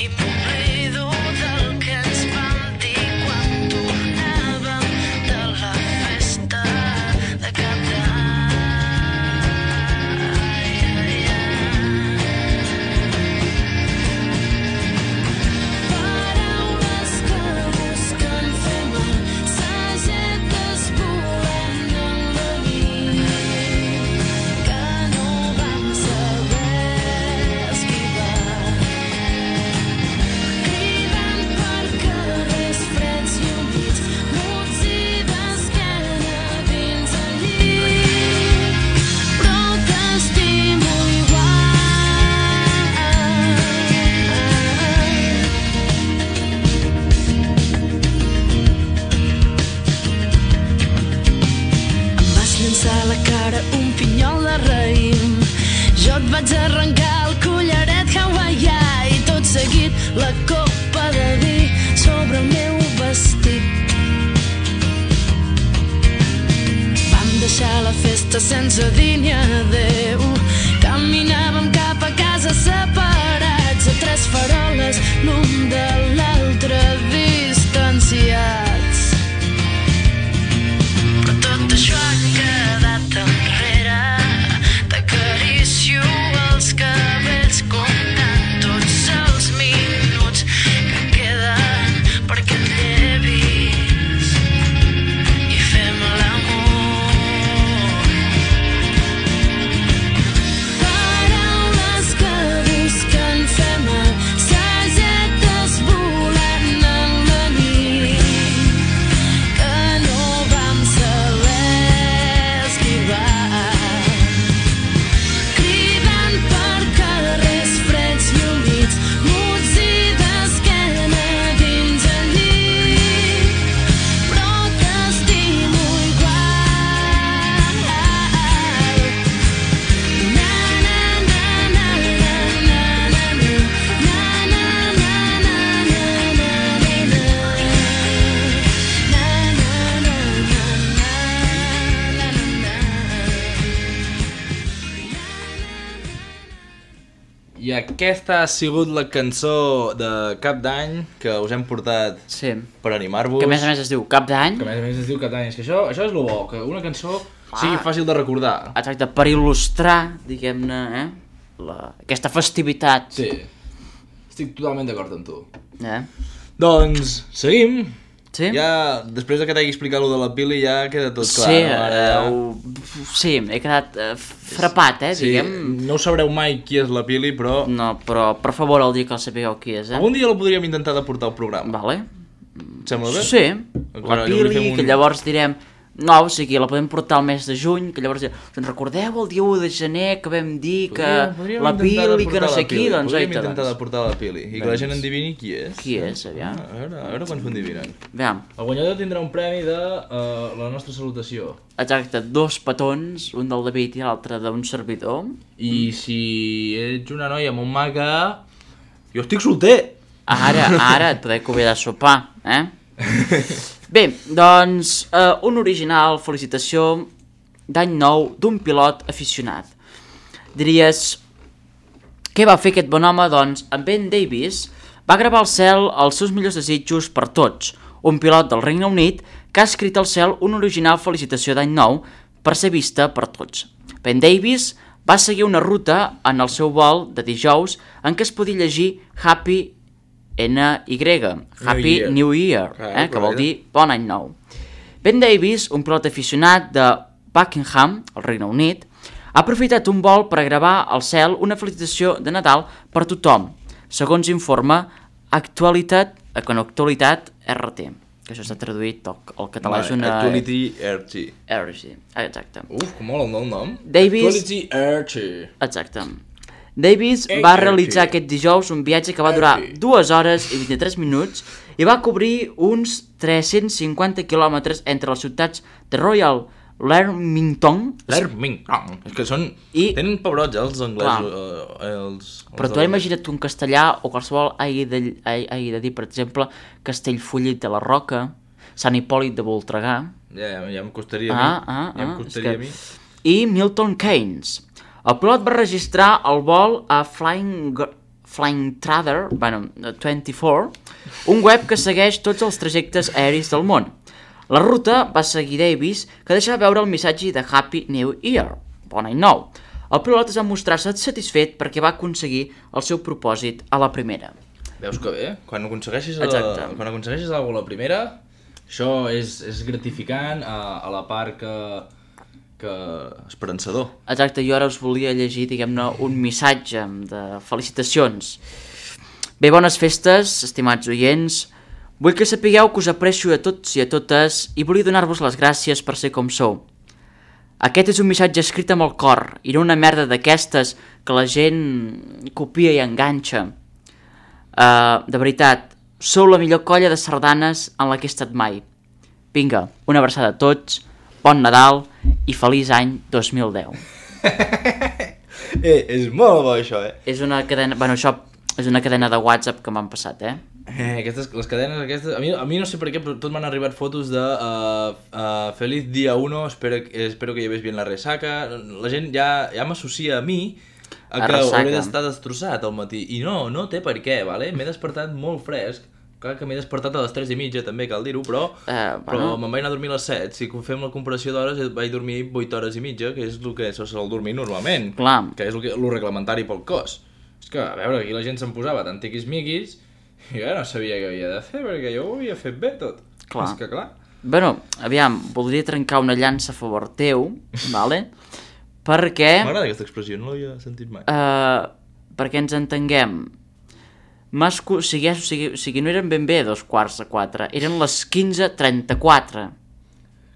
i m'oblido del que ens vam dir quan tornàvem de la festa de Cap d'Any. Paraules que busquen fer mal, sagetes volant en la nit que no vam saber esquivar. A la cara un pinyol de raïm, jo et vaig arrencar el collaret hawaià i tot seguit la copa de vi sobre el meu vestit. Vam deixar la festa sense dir ni adeu, caminàvem cap a casa separats a tres faroles l'un de l'altre distanciats. Però tot això ha quedat enrere, t'acaricio els cabells comptant tots els minuts que queden per aquest llevis i fem l'amor.
aquesta ha sigut la cançó de Cap d'Any que us hem portat
Sí.
per animar-vos.
Que a més a més es diu Cap d'Any.
Que a més a més es diu Cap d'Any. És que això, això és el bo, que una cançó sigui fàcil de recordar.
Exacte, per il·lustrar, diguem-ne, eh? La... aquesta festivitat.
Sí, estic totalment d'acord amb tu.
Eh?
Doncs, seguim.
Sí?
Ja, després que t'hagi explicat lo de la Pili, ja queda tot clar.
Sí,
no? Ara
eh,
ja...
ho... sí, he quedat eh, frapat, eh,
Sí,
diguem.
no ho sabreu mai qui és la Pili, però...
No, però per favor el dia que el sapigueu qui és, eh?
Algun dia la podríem intentar de portar al programa.
Vale.
Et sembla bé?
Sí,
Encara
la
llavors
Pili,
fem un-
que llavors direm... No, o sigui, la podem portar al mes de juny, que llavors direm... Doncs recordeu el dia u de gener que vam dir que
Podríem- podríem
la
intentar de
Pili, que
portar
no
la
sé qui,
Pili.
doncs
Podríem
oita,
intentar de
doncs.
portar la Pili i que la gent endivini qui és.
Qui és, aviam.
A veure, a veure quants endivinen.
Aviam.
El guanyador tindrà un premi de uh, la nostra salutació.
Exacte, dos petons, un del David i l'altre d'un servidor.
I si ets una noia molt maca... Jo estic solter!
Ara, ara et podeu convidar a sopar, eh? Bé, doncs, eh, un original felicitació d'any nou d'un pilot aficionat. Diries, què va fer aquest bon home? Doncs en Ben Davis va gravar al cel els seus millors desitjos per tots, un pilot del Regne Unit que ha escrit al cel una original felicitació d'any nou per ser vista per tots. Ben Davis va seguir una ruta en el seu vol de dijous en què es podia llegir Happy N Y, Happy
Year.
New Year,
Ah,
eh, que vol
correcte.
dir bon any nou. Ben Davis, un pilot aficionat de Buckingham, al Regne Unit, ha aprofitat un vol per gravar al cel una felicitació de Nadal per tothom, segons informa Actualitat, con Actualitat R T, que això s'ha traduït al, al català, és una...
Actuality R T.
R T, exacte.
Uf, com mola el nou nom.
Davis-
Actuality R T.
Exacte. Davis va realitzar aquest dijous un viatge que va durar dues hores i vint-i-tres minuts i va cobrir uns tres-cents cinquanta quilòmetres entre les ciutats de Royal Leamington.
L'Ermington. És que són...
I-
Tenen pebrots, eh, els anglesos.
Clar.
Eh, els,
Però
els
tu imagina't un castellà o qualsevol hagi de, hagi de dir, per exemple, Castellfollit de la Roca, Sant Hipòlit de Voltregà,
Ja, ja, ja em costaria a
Ah,
mi.
ah,
ja em
ah,
costaria
és
a mi.
que... i Milton Keynes. El pilot va registrar el vol a Flying, Gr- Flying Trader, bueno, vint-i-quatre, un web que segueix tots els trajectes aeris del món. La ruta va seguir Davis, que deixava veure el missatge de Happy New Year, bon any nou. El pilot es va mostrar-se satisfet perquè va aconseguir el seu propòsit a la primera.
Veus que bé? Quan aconsegueixis, a,
Exacte.
quan aconsegueixis alguna cosa a la primera, això és, és gratificant a, a la part que, que esperançador.
Exacte, jo ara us volia llegir, diguem-ne, un missatge de felicitacions. Bé, bones festes, estimats oients. Vull que sapigueu que us aprecio a tots i a totes i volia donar-vos les gràcies per ser com sou. Aquest és un missatge escrit amb el cor i no una merda d'aquestes que la gent copia i enganxa. Uh, de veritat, sou la millor colla de sardanes en la que he estat mai. Vinga, una abraçada a tots, bon Nadal i feliç any dos mil deu.
Eh, és molt bo això, eh?
És una cadena... Bueno, això és una cadena de WhatsApp que m'han passat, eh?
Eh, aquestes, les cadenes aquestes... A mi, a mi no sé per què, però tot m'han arribat fotos de uh, uh, Feliz dia uno, espero, espero que lleves bien la resaca... La gent ja, ja m'associa a mi a
A
que
resaca.
hauré d'estar destrossat al matí. I no, no té per què, vale? M'he despertat molt fresc. Clar que m'he despertat a les tres i mitja, també cal dir-ho, però,
Eh,
però
bueno.
me'n vaig anar a dormir a les set. Si fem la comparació d'hores, vaig dormir vuit hores i mitja, que és el que se sol dormir normalment.
Clar.
Que és el, que, el reglamentari pel cos. És que, a veure, aquí la gent se'n posava tant tiquis-miquis i jo no sabia què havia de fer, perquè jo ho havia fet bé tot.
Clar.
És que clar.
Bueno, aviam, voldria trencar una llança a favor teu, vale? Perquè...
M'agrada aquesta expressió, no l'havia sentit mai.
Eh, perquè ens entenguem. M'has co- o, sigui, o, sigui, o sigui, no eren ben bé dos quarts de quatre, eren les quinze trenta-quatre.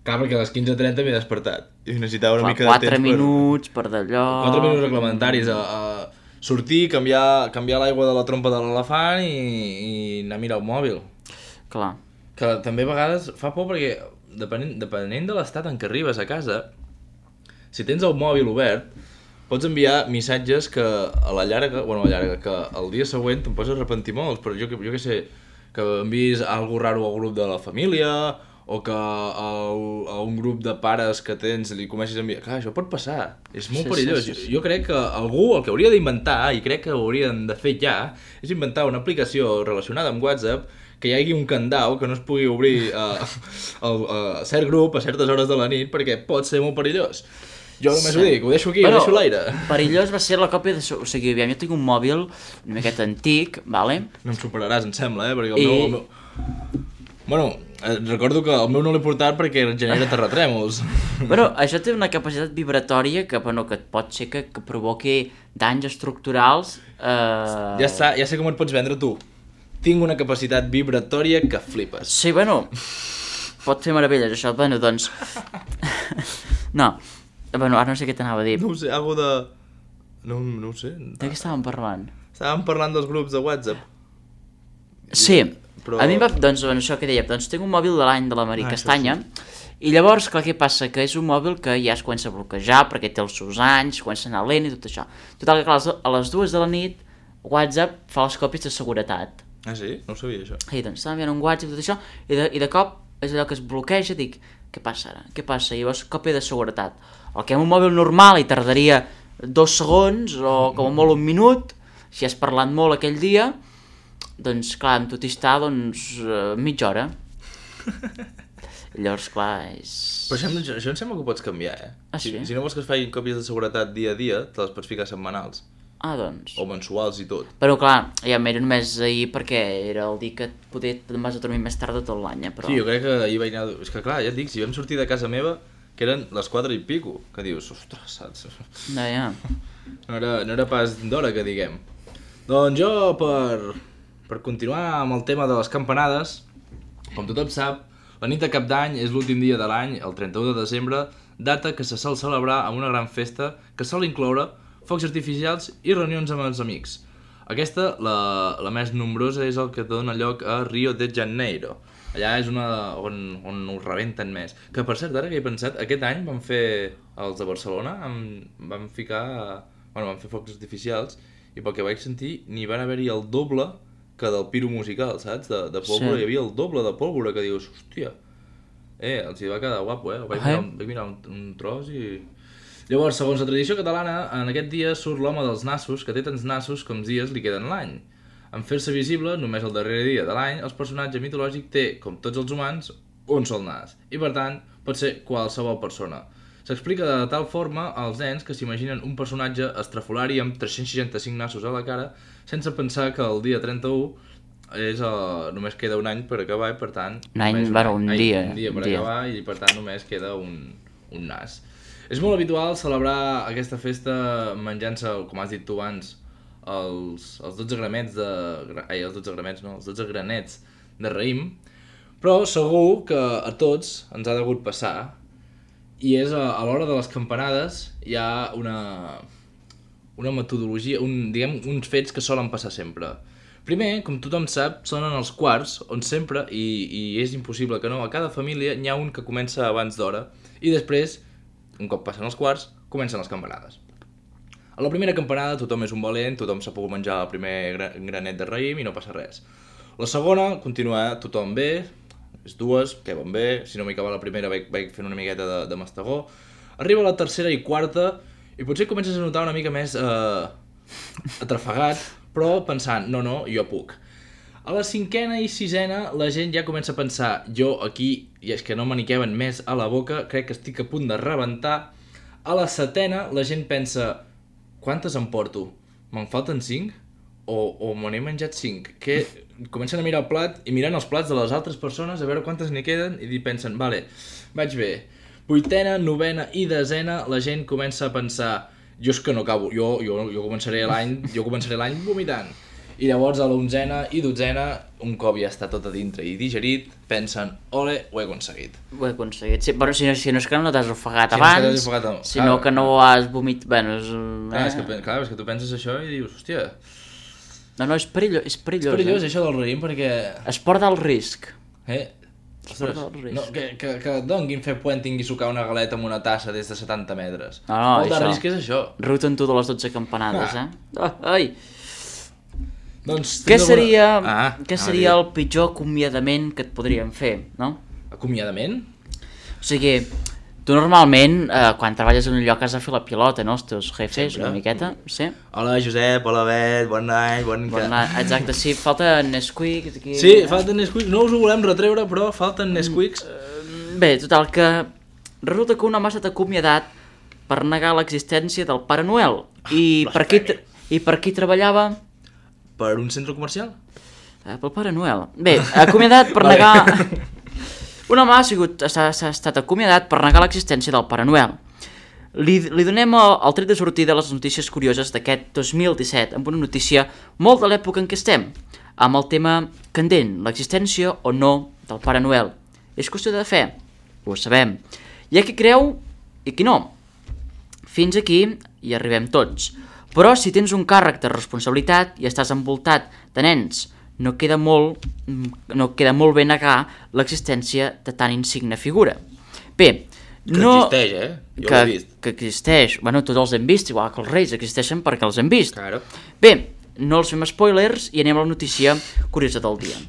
Clar, perquè a les quinze trenta m'he despertat i necessitava una
Fa
mica de
quatre
temps
minuts per d'allò...
per... quatre minuts reglamentaris a, a sortir, canviar, canviar l'aigua de la trompa de l'elefant i, i anar a mirar el mòbil.
Clar.
Que també a vegades fa por perquè depenent, depenent de l'estat en què arribes a casa, si tens el mòbil obert, pots enviar missatges que a la llarga, bueno, a la llarga, que el dia següent te'n pots arrepentir molts, però jo, que- jo que sé, que envies algo raro al grup de la família, o que a, a un grup de pares que tens li comencis a enviar... Clar, això pot passar, és molt
Sí,
perillós.
sí, sí, sí.
Jo crec que algú el que hauria d'inventar, i crec que ho haurien de fer ja, és inventar una aplicació relacionada amb WhatsApp que hi hagi un candau que no es pugui obrir a, a, a cert grup a certes hores de la nit perquè pot ser molt perillós. Jo només sí. ho dic, ho deixo aquí,
Però,
ho deixo a l'aire.
Perillós va ser la còpia de... O sigui, aviam, jo tinc un mòbil una miqueta antic, vale?
No em superaràs, em sembla, eh? Perquè el
I...
meu... El meu... Bueno, eh, recordo que el meu no l'he portat perquè genera terratrèmols.
Però això té una capacitat vibratòria que, bueno, que pot ser que, que provoqui danys estructurals. Eh...
Ja està, ja sé com et pots vendre tu. Tinc una capacitat vibratòria que flipes.
Sí, bueno, pot fer meravelles això, bueno, doncs... no, bueno, ara no sé què t'anava a dir.
No ho sé, algo de... No, no ho sé.
De què estàvem parlant?
Estàvem parlant dels grups de WhatsApp.
Sí,
però...
a mi em va... Doncs, bueno, això que deia, doncs tinc un mòbil de l'any de la Maria
Ah,
Castanya, i llavors, clar, què passa? Que és un mòbil que ja es comença a bloquejar perquè té els seus anys, comença a anar lent i tot això. Total, que clar, a les dues de la nit WhatsApp fa les còpies de seguretat.
Ah, sí? No ho sabia, això.
I doncs estava enviant un WhatsApp i tot això, i de, i de cop és allò que es bloqueja, dic, què passa ara? Què passa? I llavors còpia de seguretat. El que amb un mòbil normal hi tardaria dos segons o com a molt un minut, si has parlat molt aquell dia, doncs clar, amb tot i està, doncs, uh, mitja hora. I llavors, clar, és...
Però això, em- això em sembla que ho pots canviar, eh?
Ah,
si,
sí?
si no vols que es facin còpies de seguretat dia a dia, te les pots ficar setmanals.
Ah, doncs...
O mensuals i tot.
Però clar, ja m'era només ahir perquè era el dia que poder te'n vas a dormir més tard de tot l'any, eh, però...
Sí, jo crec que ahir vaig anar... És que clar, ja et dic, si vam sortir de casa meva, que eren les quatre i pico, que dius, ostres, saps?
No, ja.
No era, no era pas d'hora, que diguem. Doncs jo, per, per continuar amb el tema de les campanades, com tothom sap, la nit de Cap d'Any és l'últim dia de l'any, el trenta-u de desembre, data que se sol celebrar amb una gran festa que sol incloure focs artificials i reunions amb els amics. Aquesta, la, la més nombrosa, és el que dona lloc a Rio de Janeiro. Allà és una on, on ho rebenten més. Que, per cert, ara que he pensat, aquest any van fer els de Barcelona, amb, van ficar... Bueno, van fer focs artificials, i pel que vaig sentir, n'hi van haver-hi el doble que del piro musical, saps? De, de pólvora,
Sí.
hi havia el doble de pólvora, que dius, hòstia, eh, els hi va quedar guapo, eh? Vaig mirar, un, vaig mirar un, un tros i... Llavors, segons la tradició catalana, en aquest dia surt l'home dels nassos, que té tants nassos com dies li queden l'any. En fer-se visible, només el darrer dia de l'any, el personatge mitològic té, com tots els humans, un sol nas, i per tant, pot ser qualsevol persona. S'explica de tal forma als nens que s'imaginen un personatge estrafolari amb tres-cents seixanta-cinc nassos a la cara, sense pensar que el dia trenta-u és, uh, només queda un any per acabar i per tant...
Un any,
només
bueno, un
any,
dia,
Un dia per
un dia.
acabar i per tant només queda un, un nas. És molt habitual celebrar aquesta festa menjant-se, com has dit tu abans, els, els dotze gramets de... Ai, els dotze gramets no, els dotze granets de raïm, però segur que a tots ens ha degut passar, i és a, a l'hora de les campanades hi ha una, una metodologia, un, diguem, uns fets que solen passar sempre. Primer, com tothom sap, sonen els quarts, on sempre, i, i és impossible que no, a cada família n'hi ha un que comença abans d'hora, i després, un cop passen els quarts, comencen les campanades. A la primera campanada tothom és un valent, tothom s'ha pogut menjar el primer gra granet de raïm i no passa res. La segona, continua tothom bé, és dues, que van bé, si no m'hi acaba la primera vaig, vaig fent una miqueta de, de mastegó. Arriba la tercera i quarta, i potser comences a notar una mica més eh, atrafegat, però pensant, no, no, jo puc. A la cinquena i sisena la gent ja comença a pensar, jo aquí, i és que no me n'hi queben més a la boca, crec que estic a punt de rebentar. A la setena la gent pensa, quantes em porto? Me'n falten cinc? O, o me n'he menjat cinc? Que comencen a mirar el plat i mirant els plats de les altres persones a veure quantes n'hi queden i pensen, vale, vaig bé. Vuitena, novena i desena la gent comença a pensar, jo és que no acabo, jo, jo, jo començaré l'any jo començaré l'any vomitant. I llavors a l'onzena i dotzena, un cop ja està tot a dintre i digerit, pensen, ole, ho he aconseguit.
Ho he aconseguit. Sí, però si no, si no és que no t'has ofegat
Si no és que
abans,
t'has ofegat abans.
sinó
Clar.
que no has vomit... Bueno, és...
Clar, és que, clar, és que tu penses això i dius, hòstia,
No, no, és perillós, és perillós,
és perillós
eh?
això del raïm perquè...
Es porta al risc.
Eh? Ostres,
porta al risc.
no, que, que, que donguin fer puenting i sucar una galeta amb una tassa des de setanta metres.
No, no,
Molt de
això.
risc és això.
Ruten tu de les dotze campanades,
Ah.
eh? Oh, ai!
Doncs,
Què
tens
seria,
alguna- Ah,
què
ah,
seria
digue.
el pitjor acomiadament que et podríem fer, no?
acomiadament?
O sigui, tu normalment, eh, quan treballes en un lloc has de fer la pilota, no? Els teus jefes,
Sempre.
una miqueta, sí?
Hola Josep, hola Bet, bon any, bon...
Bon, exacte, sí, falta Nesquik aquí.
Sí, falten Nesquiks, no us ho volem retreure, però falten Nesquiks.
Bé, total, que resulta que un home s'ha acomiadat per negar l'existència del Pare Noel. I per qui, I per qui treballava?
Per un centre comercial?
Eh, pel Pare Noel. Bé, acomiadat per negar... Un home ha, sigut, s'ha, s'ha estat acomiadat per negar l'existència del Pare Noel. Li, li donem el, el tret de sortida a les notícies curioses d'aquest dos mil disset, amb una notícia molt de l'època en què estem, amb el tema candent, l'existència o no del Pare Noel. És qüestió de fe, ho sabem. Hi ha qui creu i qui no. Fins aquí hi arribem tots. Però si tens un càrrec de responsabilitat i estàs envoltat de nens, no queda molt, no queda molt bé negar l'existència de tan insigne figura. Bé,
Que
no...
existeix, eh? Jo
que,
l'he vist.
que existeix. Bueno, tots els hem vist, igual que els reis existeixen perquè els hem vist.
Claro.
Bé, no els fem spoilers i anem a la notícia curiosa del dia.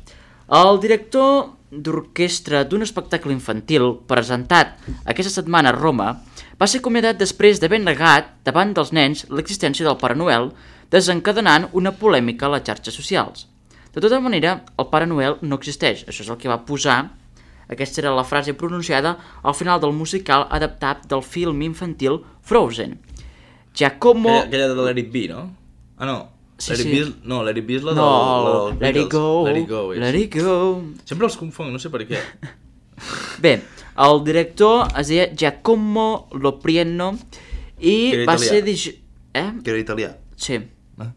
El director d'orquestra d'un espectacle infantil presentat aquesta setmana a Roma va ser acomiadat després d'haver negat davant dels nens l'existència del Pare Noel, desencadenant una polèmica a les xarxes socials. De tota manera, el Pare Noel no existeix. Això és el que va posar, aquesta era la frase pronunciada al final del musical adaptat del film infantil Frozen. Giacomo...
Aquella, aquella de Let It Be, no? Ah, no.
Sí,
Let It
sí.
Be, és- no, Let It Be és la
No,
del, la dels
let it
Beatles.
go,
Let It Go, és.
let it go.
Sempre els confonc, no sé per què.
Bé, el director es deia Giacomo Loprieno i
Que era
va
italià.
ser... Dig... Eh?
Que era italià.
Sí.
Ah.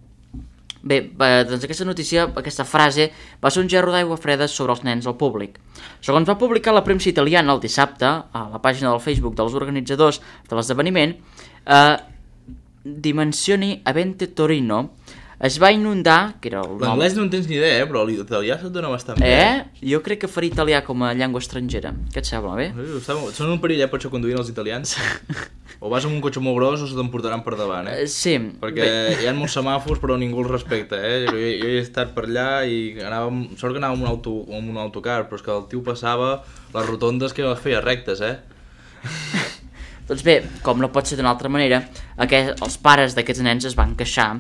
Bé, eh, doncs aquesta notícia, aquesta frase, va ser un gerro d'aigua freda sobre els nens al públic. Segons va publicar la premsa italiana el dissabte, a la pàgina del Facebook dels organitzadors de l'esdeveniment, eh, Dimensioni Avente Torino es va inundar, que era el nom...
L'anglès no en tens ni idea, eh? Però l'italià se't dona bastant bé.
Eh? Jo crec que faria italià com a llengua estrangera. Què et sembla, bé?
Eh, està molt- Són un perill, eh, per això conduint els italians. O vas amb un cotxe molt gros o se t'emportaran per davant, eh?
Eh, sí.
Perquè hi ha molts semàfors però ningú els respecta, eh? Jo, jo he estat per allà i anàvem... Sort que anàvem amb un, auto, amb un autocar, però és que el tio passava les rotondes que les feia rectes, eh?
Doncs bé, com no pot ser d'una altra manera, aquest, els pares d'aquests nens es van queixar.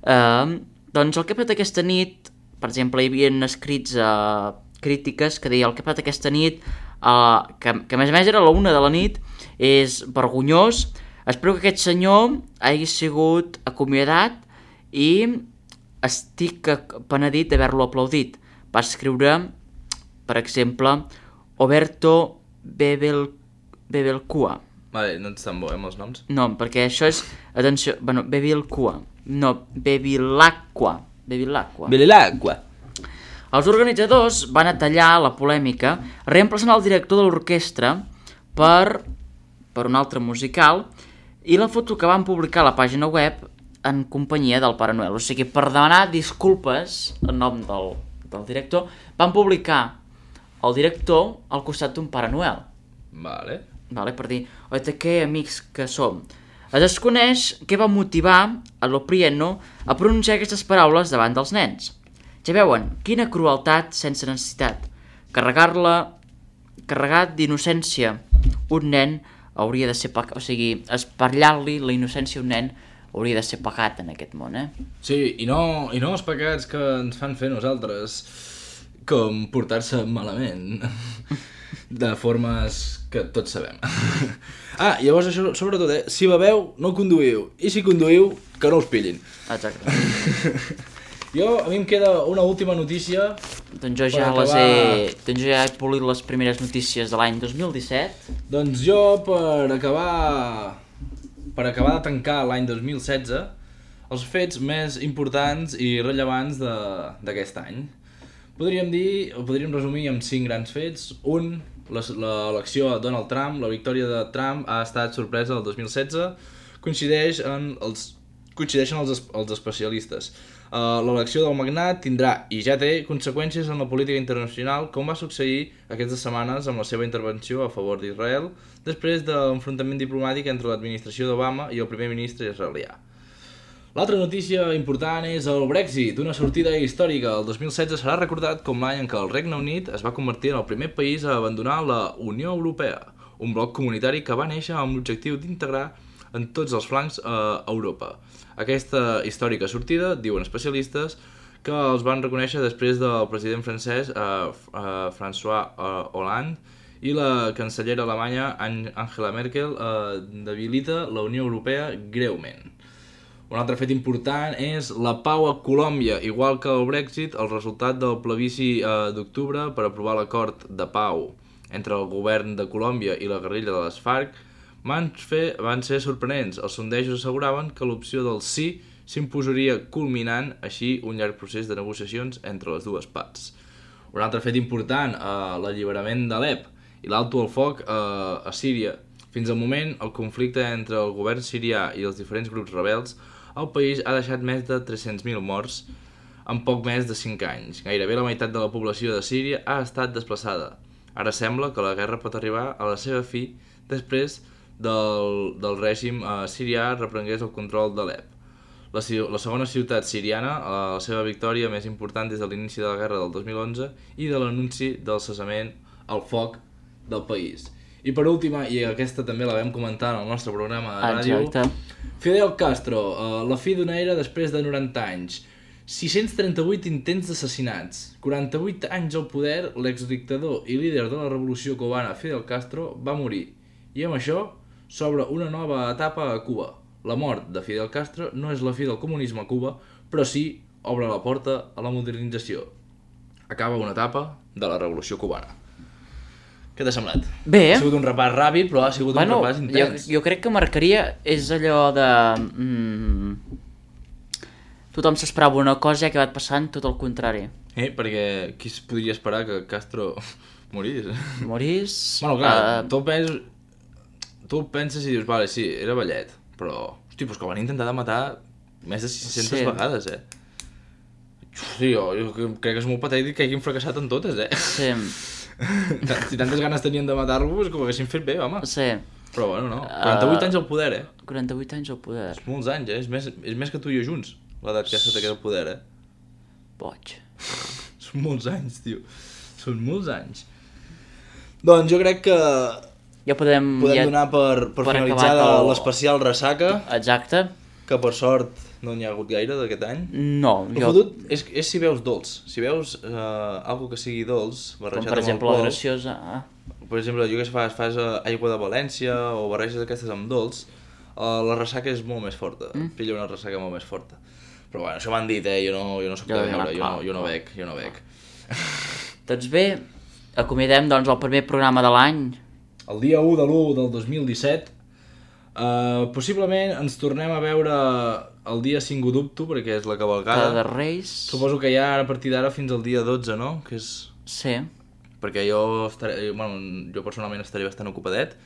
Eh, doncs el que ha passat aquesta nit, per exemple, hi havia escrits eh, crítiques que deia el que ha passat aquesta nit, eh, que, que a més a més era a la una de la nit, és vergonyós. Espero que aquest senyor hagi sigut acomiadat i estic penedit d'haver-lo aplaudit. Va escriure, per exemple, Oberto Bebel, Bebelcua.
Vale, no ets tan bo, eh, amb els noms.
No, perquè això és... Atenció, bueno, Bevilcua. No, Bevilacqua. Bevilacqua.
Belilacqua.
Els organitzadors van a tallar la polèmica reemplaçant el director de l'orquestra per, per un altre musical i la foto que van publicar a la pàgina web en companyia del Pare Noel. O sigui, per demanar disculpes en nom del, del director, van publicar el director al costat d'un Pare Noel.
Vale.
Vale, per dir, oita, que amics que som. Es desconeix què va motivar a Loprieno a pronunciar aquestes paraules davant dels nens. Ja veuen, quina crueltat sense necessitat. Carregar-la, carregat d'innocència un nen hauria de ser pecat, o sigui, espatllar-li la innocència a un nen hauria de ser pecat en aquest món, eh?
Sí, i no, i no els pecats que ens fan fer nosaltres, com portar-se malament, de formes que tots sabem. Ah, llavors això, sobretot, eh, si beveu, no conduïu, i si conduïu, que no us pillin.
Exacte.
Jo, a mi em queda una última notícia.
Doncs jo
Per
ja les
acabar-
he... Doncs jo ja he polit les primeres notícies de l'any dos mil disset.
Doncs jo, per acabar, per acabar de tancar l'any dos mil setze, els fets més importants i rellevants de- d'aquest any. Podríem dir, o podríem resumir amb cinc grans fets. Un, l'elecció de Donald Trump, la victòria de Trump ha estat sorpresa del dos mil setze, coincideix en els, coincideixen els, es- els especialistes. Uh, l'elecció del magnat tindrà, i ja té, conseqüències en la política internacional, com va succeir aquestes setmanes amb la seva intervenció a favor d'Israel, després de l'enfrontament diplomàtic entre l'administració d'Obama i el primer ministre israelià. L'altra notícia important és el Brexit, una sortida històrica. El dos mil setze serà recordat com l'any en què el Regne Unit es va convertir en el primer país a abandonar la Unió Europea, un bloc comunitari que va néixer amb l'objectiu d'integrar en tots els flancs a Europa. Aquesta històrica sortida, diuen especialistes, que els van reconèixer després del president francès eh, eh, François eh, Hollande i la cancellera alemanya Angela Merkel eh, debilita la Unió Europea greument. Un altre fet important és la pau a Colòmbia. Igual que el Brexit, el resultat del plebiscit eh, d'octubre per aprovar l'acord de pau entre el govern de Colòmbia i la guerrilla de les FARC van, fer, van ser sorprenents. Els sondejos asseguraven que l'opció del sí s'imposaria culminant així un llarg procés de negociacions entre les dues parts. Un altre fet important, eh, l'alliberament d'Alep i l'alto al foc eh, a Síria. Fins al moment, el conflicte entre el govern sirià i els diferents grups rebels al país ha deixat més de tres-cents mil morts en poc més de cinc anys. Gairebé la meitat de la població de Síria ha estat desplaçada. Ara sembla que la guerra pot arribar a la seva fi després del, del règim eh, sirià reprengués el control d'Alep. La, la segona ciutat siriana, eh, la seva victòria més important des de l'inici de la guerra del dos mil onze i de l'anunci del cessament al foc del país. I per última, i aquesta també la vam comentar en el nostre programa de ràdio,
Exacte.
Fidel Castro, uh, la fi d'una era després de noranta anys, sis-cents trenta-vuit intents d'assassinats, quaranta-vuit anys al poder, l'exdictador i líder de la revolució cubana Fidel Castro va morir. I amb això s'obre una nova etapa a Cuba. La mort de Fidel Castro no és la fi del comunisme a Cuba, però sí obre la porta a la modernització. Acaba una etapa de la revolució cubana. Què t'ha semblat?
Bé.
Ha sigut un repàs ràpid, però ha sigut
Bueno,
un repàs intens.
jo, jo crec que marcaria és allò de... Mm, tothom s'esperava una cosa i ha acabat passant tot el contrari.
Eh, perquè qui es podria esperar que Castro morís?
Morís...
Bueno, clar,
eh,
tu, penses, tu penses i dius, vale, sí, era vellet, però, hosti, doncs que van intentar de matar més de sis-centes
Sí.
vegades, eh? Sí, jo, jo crec que és molt patètic que hagin fracassat en totes, eh?
Sí,
Si tantes ganes tenien de matar-lo, és que ho haguessin fet bé, home.
sí.
Però bueno, no, quaranta-vuit
Uh,
anys al poder, eh?
quaranta-vuit anys al poder.
És molts anys, eh? És més, és més que tu i jo junts, l'edat que s'ha quedat al poder, eh?
Boig.
Són molts anys, tio. Són molts anys. Doncs jo crec que
Ja podem...
podem
ja...
donar per, per,
per
finalitzar
acabat el-
l'especial Ressaca,
Exacte.
que per sort no n'hi ha hagut gaire d'aquest any.
No,
El
jo...
fotut és, és si veus dolç. Si veus eh, algo que sigui dolç,
Com
barrejat
per
amb
exemple la
alcohol,
graciosa... Ah.
per exemple, jo que sé, fas, fas eh, aigua de València o barreges aquestes amb dolç, eh, la ressaca és molt més forta. Mm. Pilla una ressaca molt més forta. Però bueno, això m'han dit, eh? Jo no, jo no soc
Jo
de
no,
veure, jo
clar,
no, jo no
clar.
bec, jo no bec.
Doncs bé, acomiadem doncs el primer programa de l'any.
El dia u de l'u del dos mil disset, eh, possiblement ens tornem a veure el dia cinc ho dubto, perquè és la cavalcada.
Cada de Reis...
Suposo que ja a partir d'ara fins al dia dotze, no? Que és...
Sí.
Perquè jo, estaré, bueno, jo personalment estaré bastant ocupadet,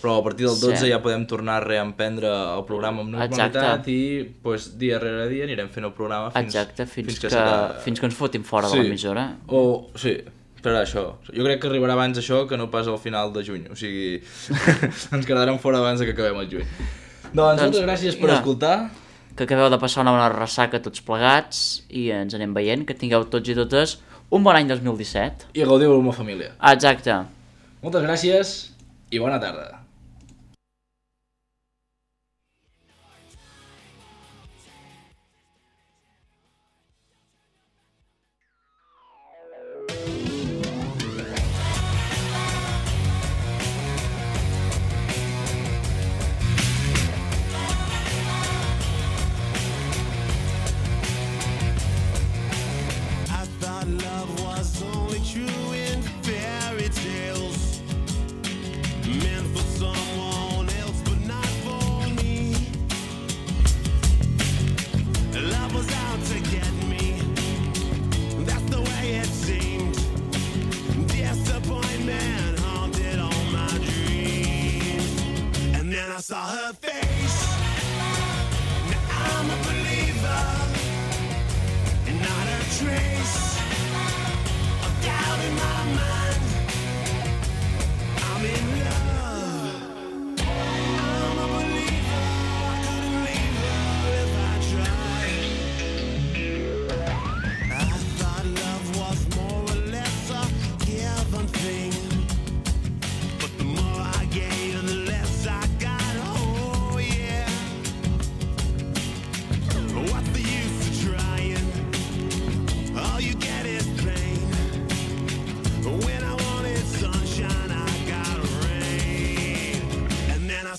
però a partir del dotze
Sí.
ja podem tornar a reemprendre el programa amb normalitat.
Exacte.
I pues, dia rere dia anirem fent el programa fins,
Exacte, fins,
fins que,
que,
serà...
fins que ens fotin fora
Sí.
de l'emissora.
O, sí, però això. Jo crec que arribarà abans això que no pas al final de juny. O sigui, ens quedarem fora abans de que acabem el juny. Doncs,
Doncs,
moltes gràcies per
mira.
escoltar.
Que acabeu de passar una bona ressaca tots plegats i ens anem veient, que tingueu tots i totes un bon any dos mil disset.
I gaudiu amb la família.
Ah, exacte.
Moltes gràcies i bona tarda.
I thought love was only true in fairy tales, meant for someone else but not for me. Love was out to get me, that's the way it seemed. Disappointment haunted all my dreams, and then I saw her face. Now I'm a believer, and not a trace of doubt in my mind. I'm in love. I'm a believer. I couldn't leave her if I tried.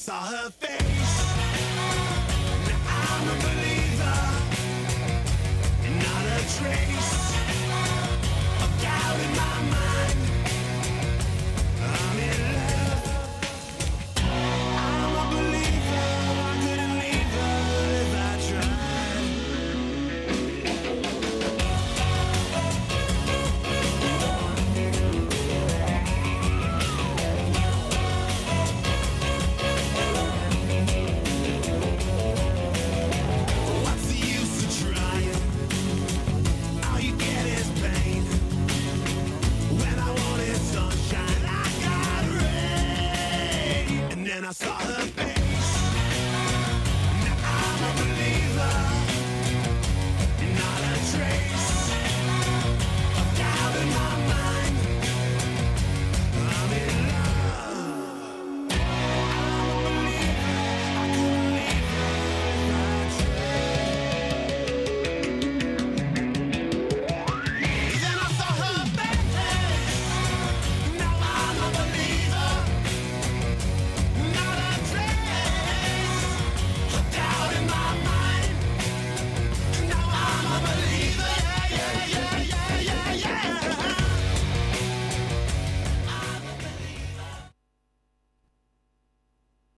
saw her face. Now I'm a believer, not a trace of doubt in my mind. I'm in love. I'm a believer, I couldn't leave her if I tried. What's the use of trying? All you get is pain. When I wanted sunshine, I got rain. And then I saw her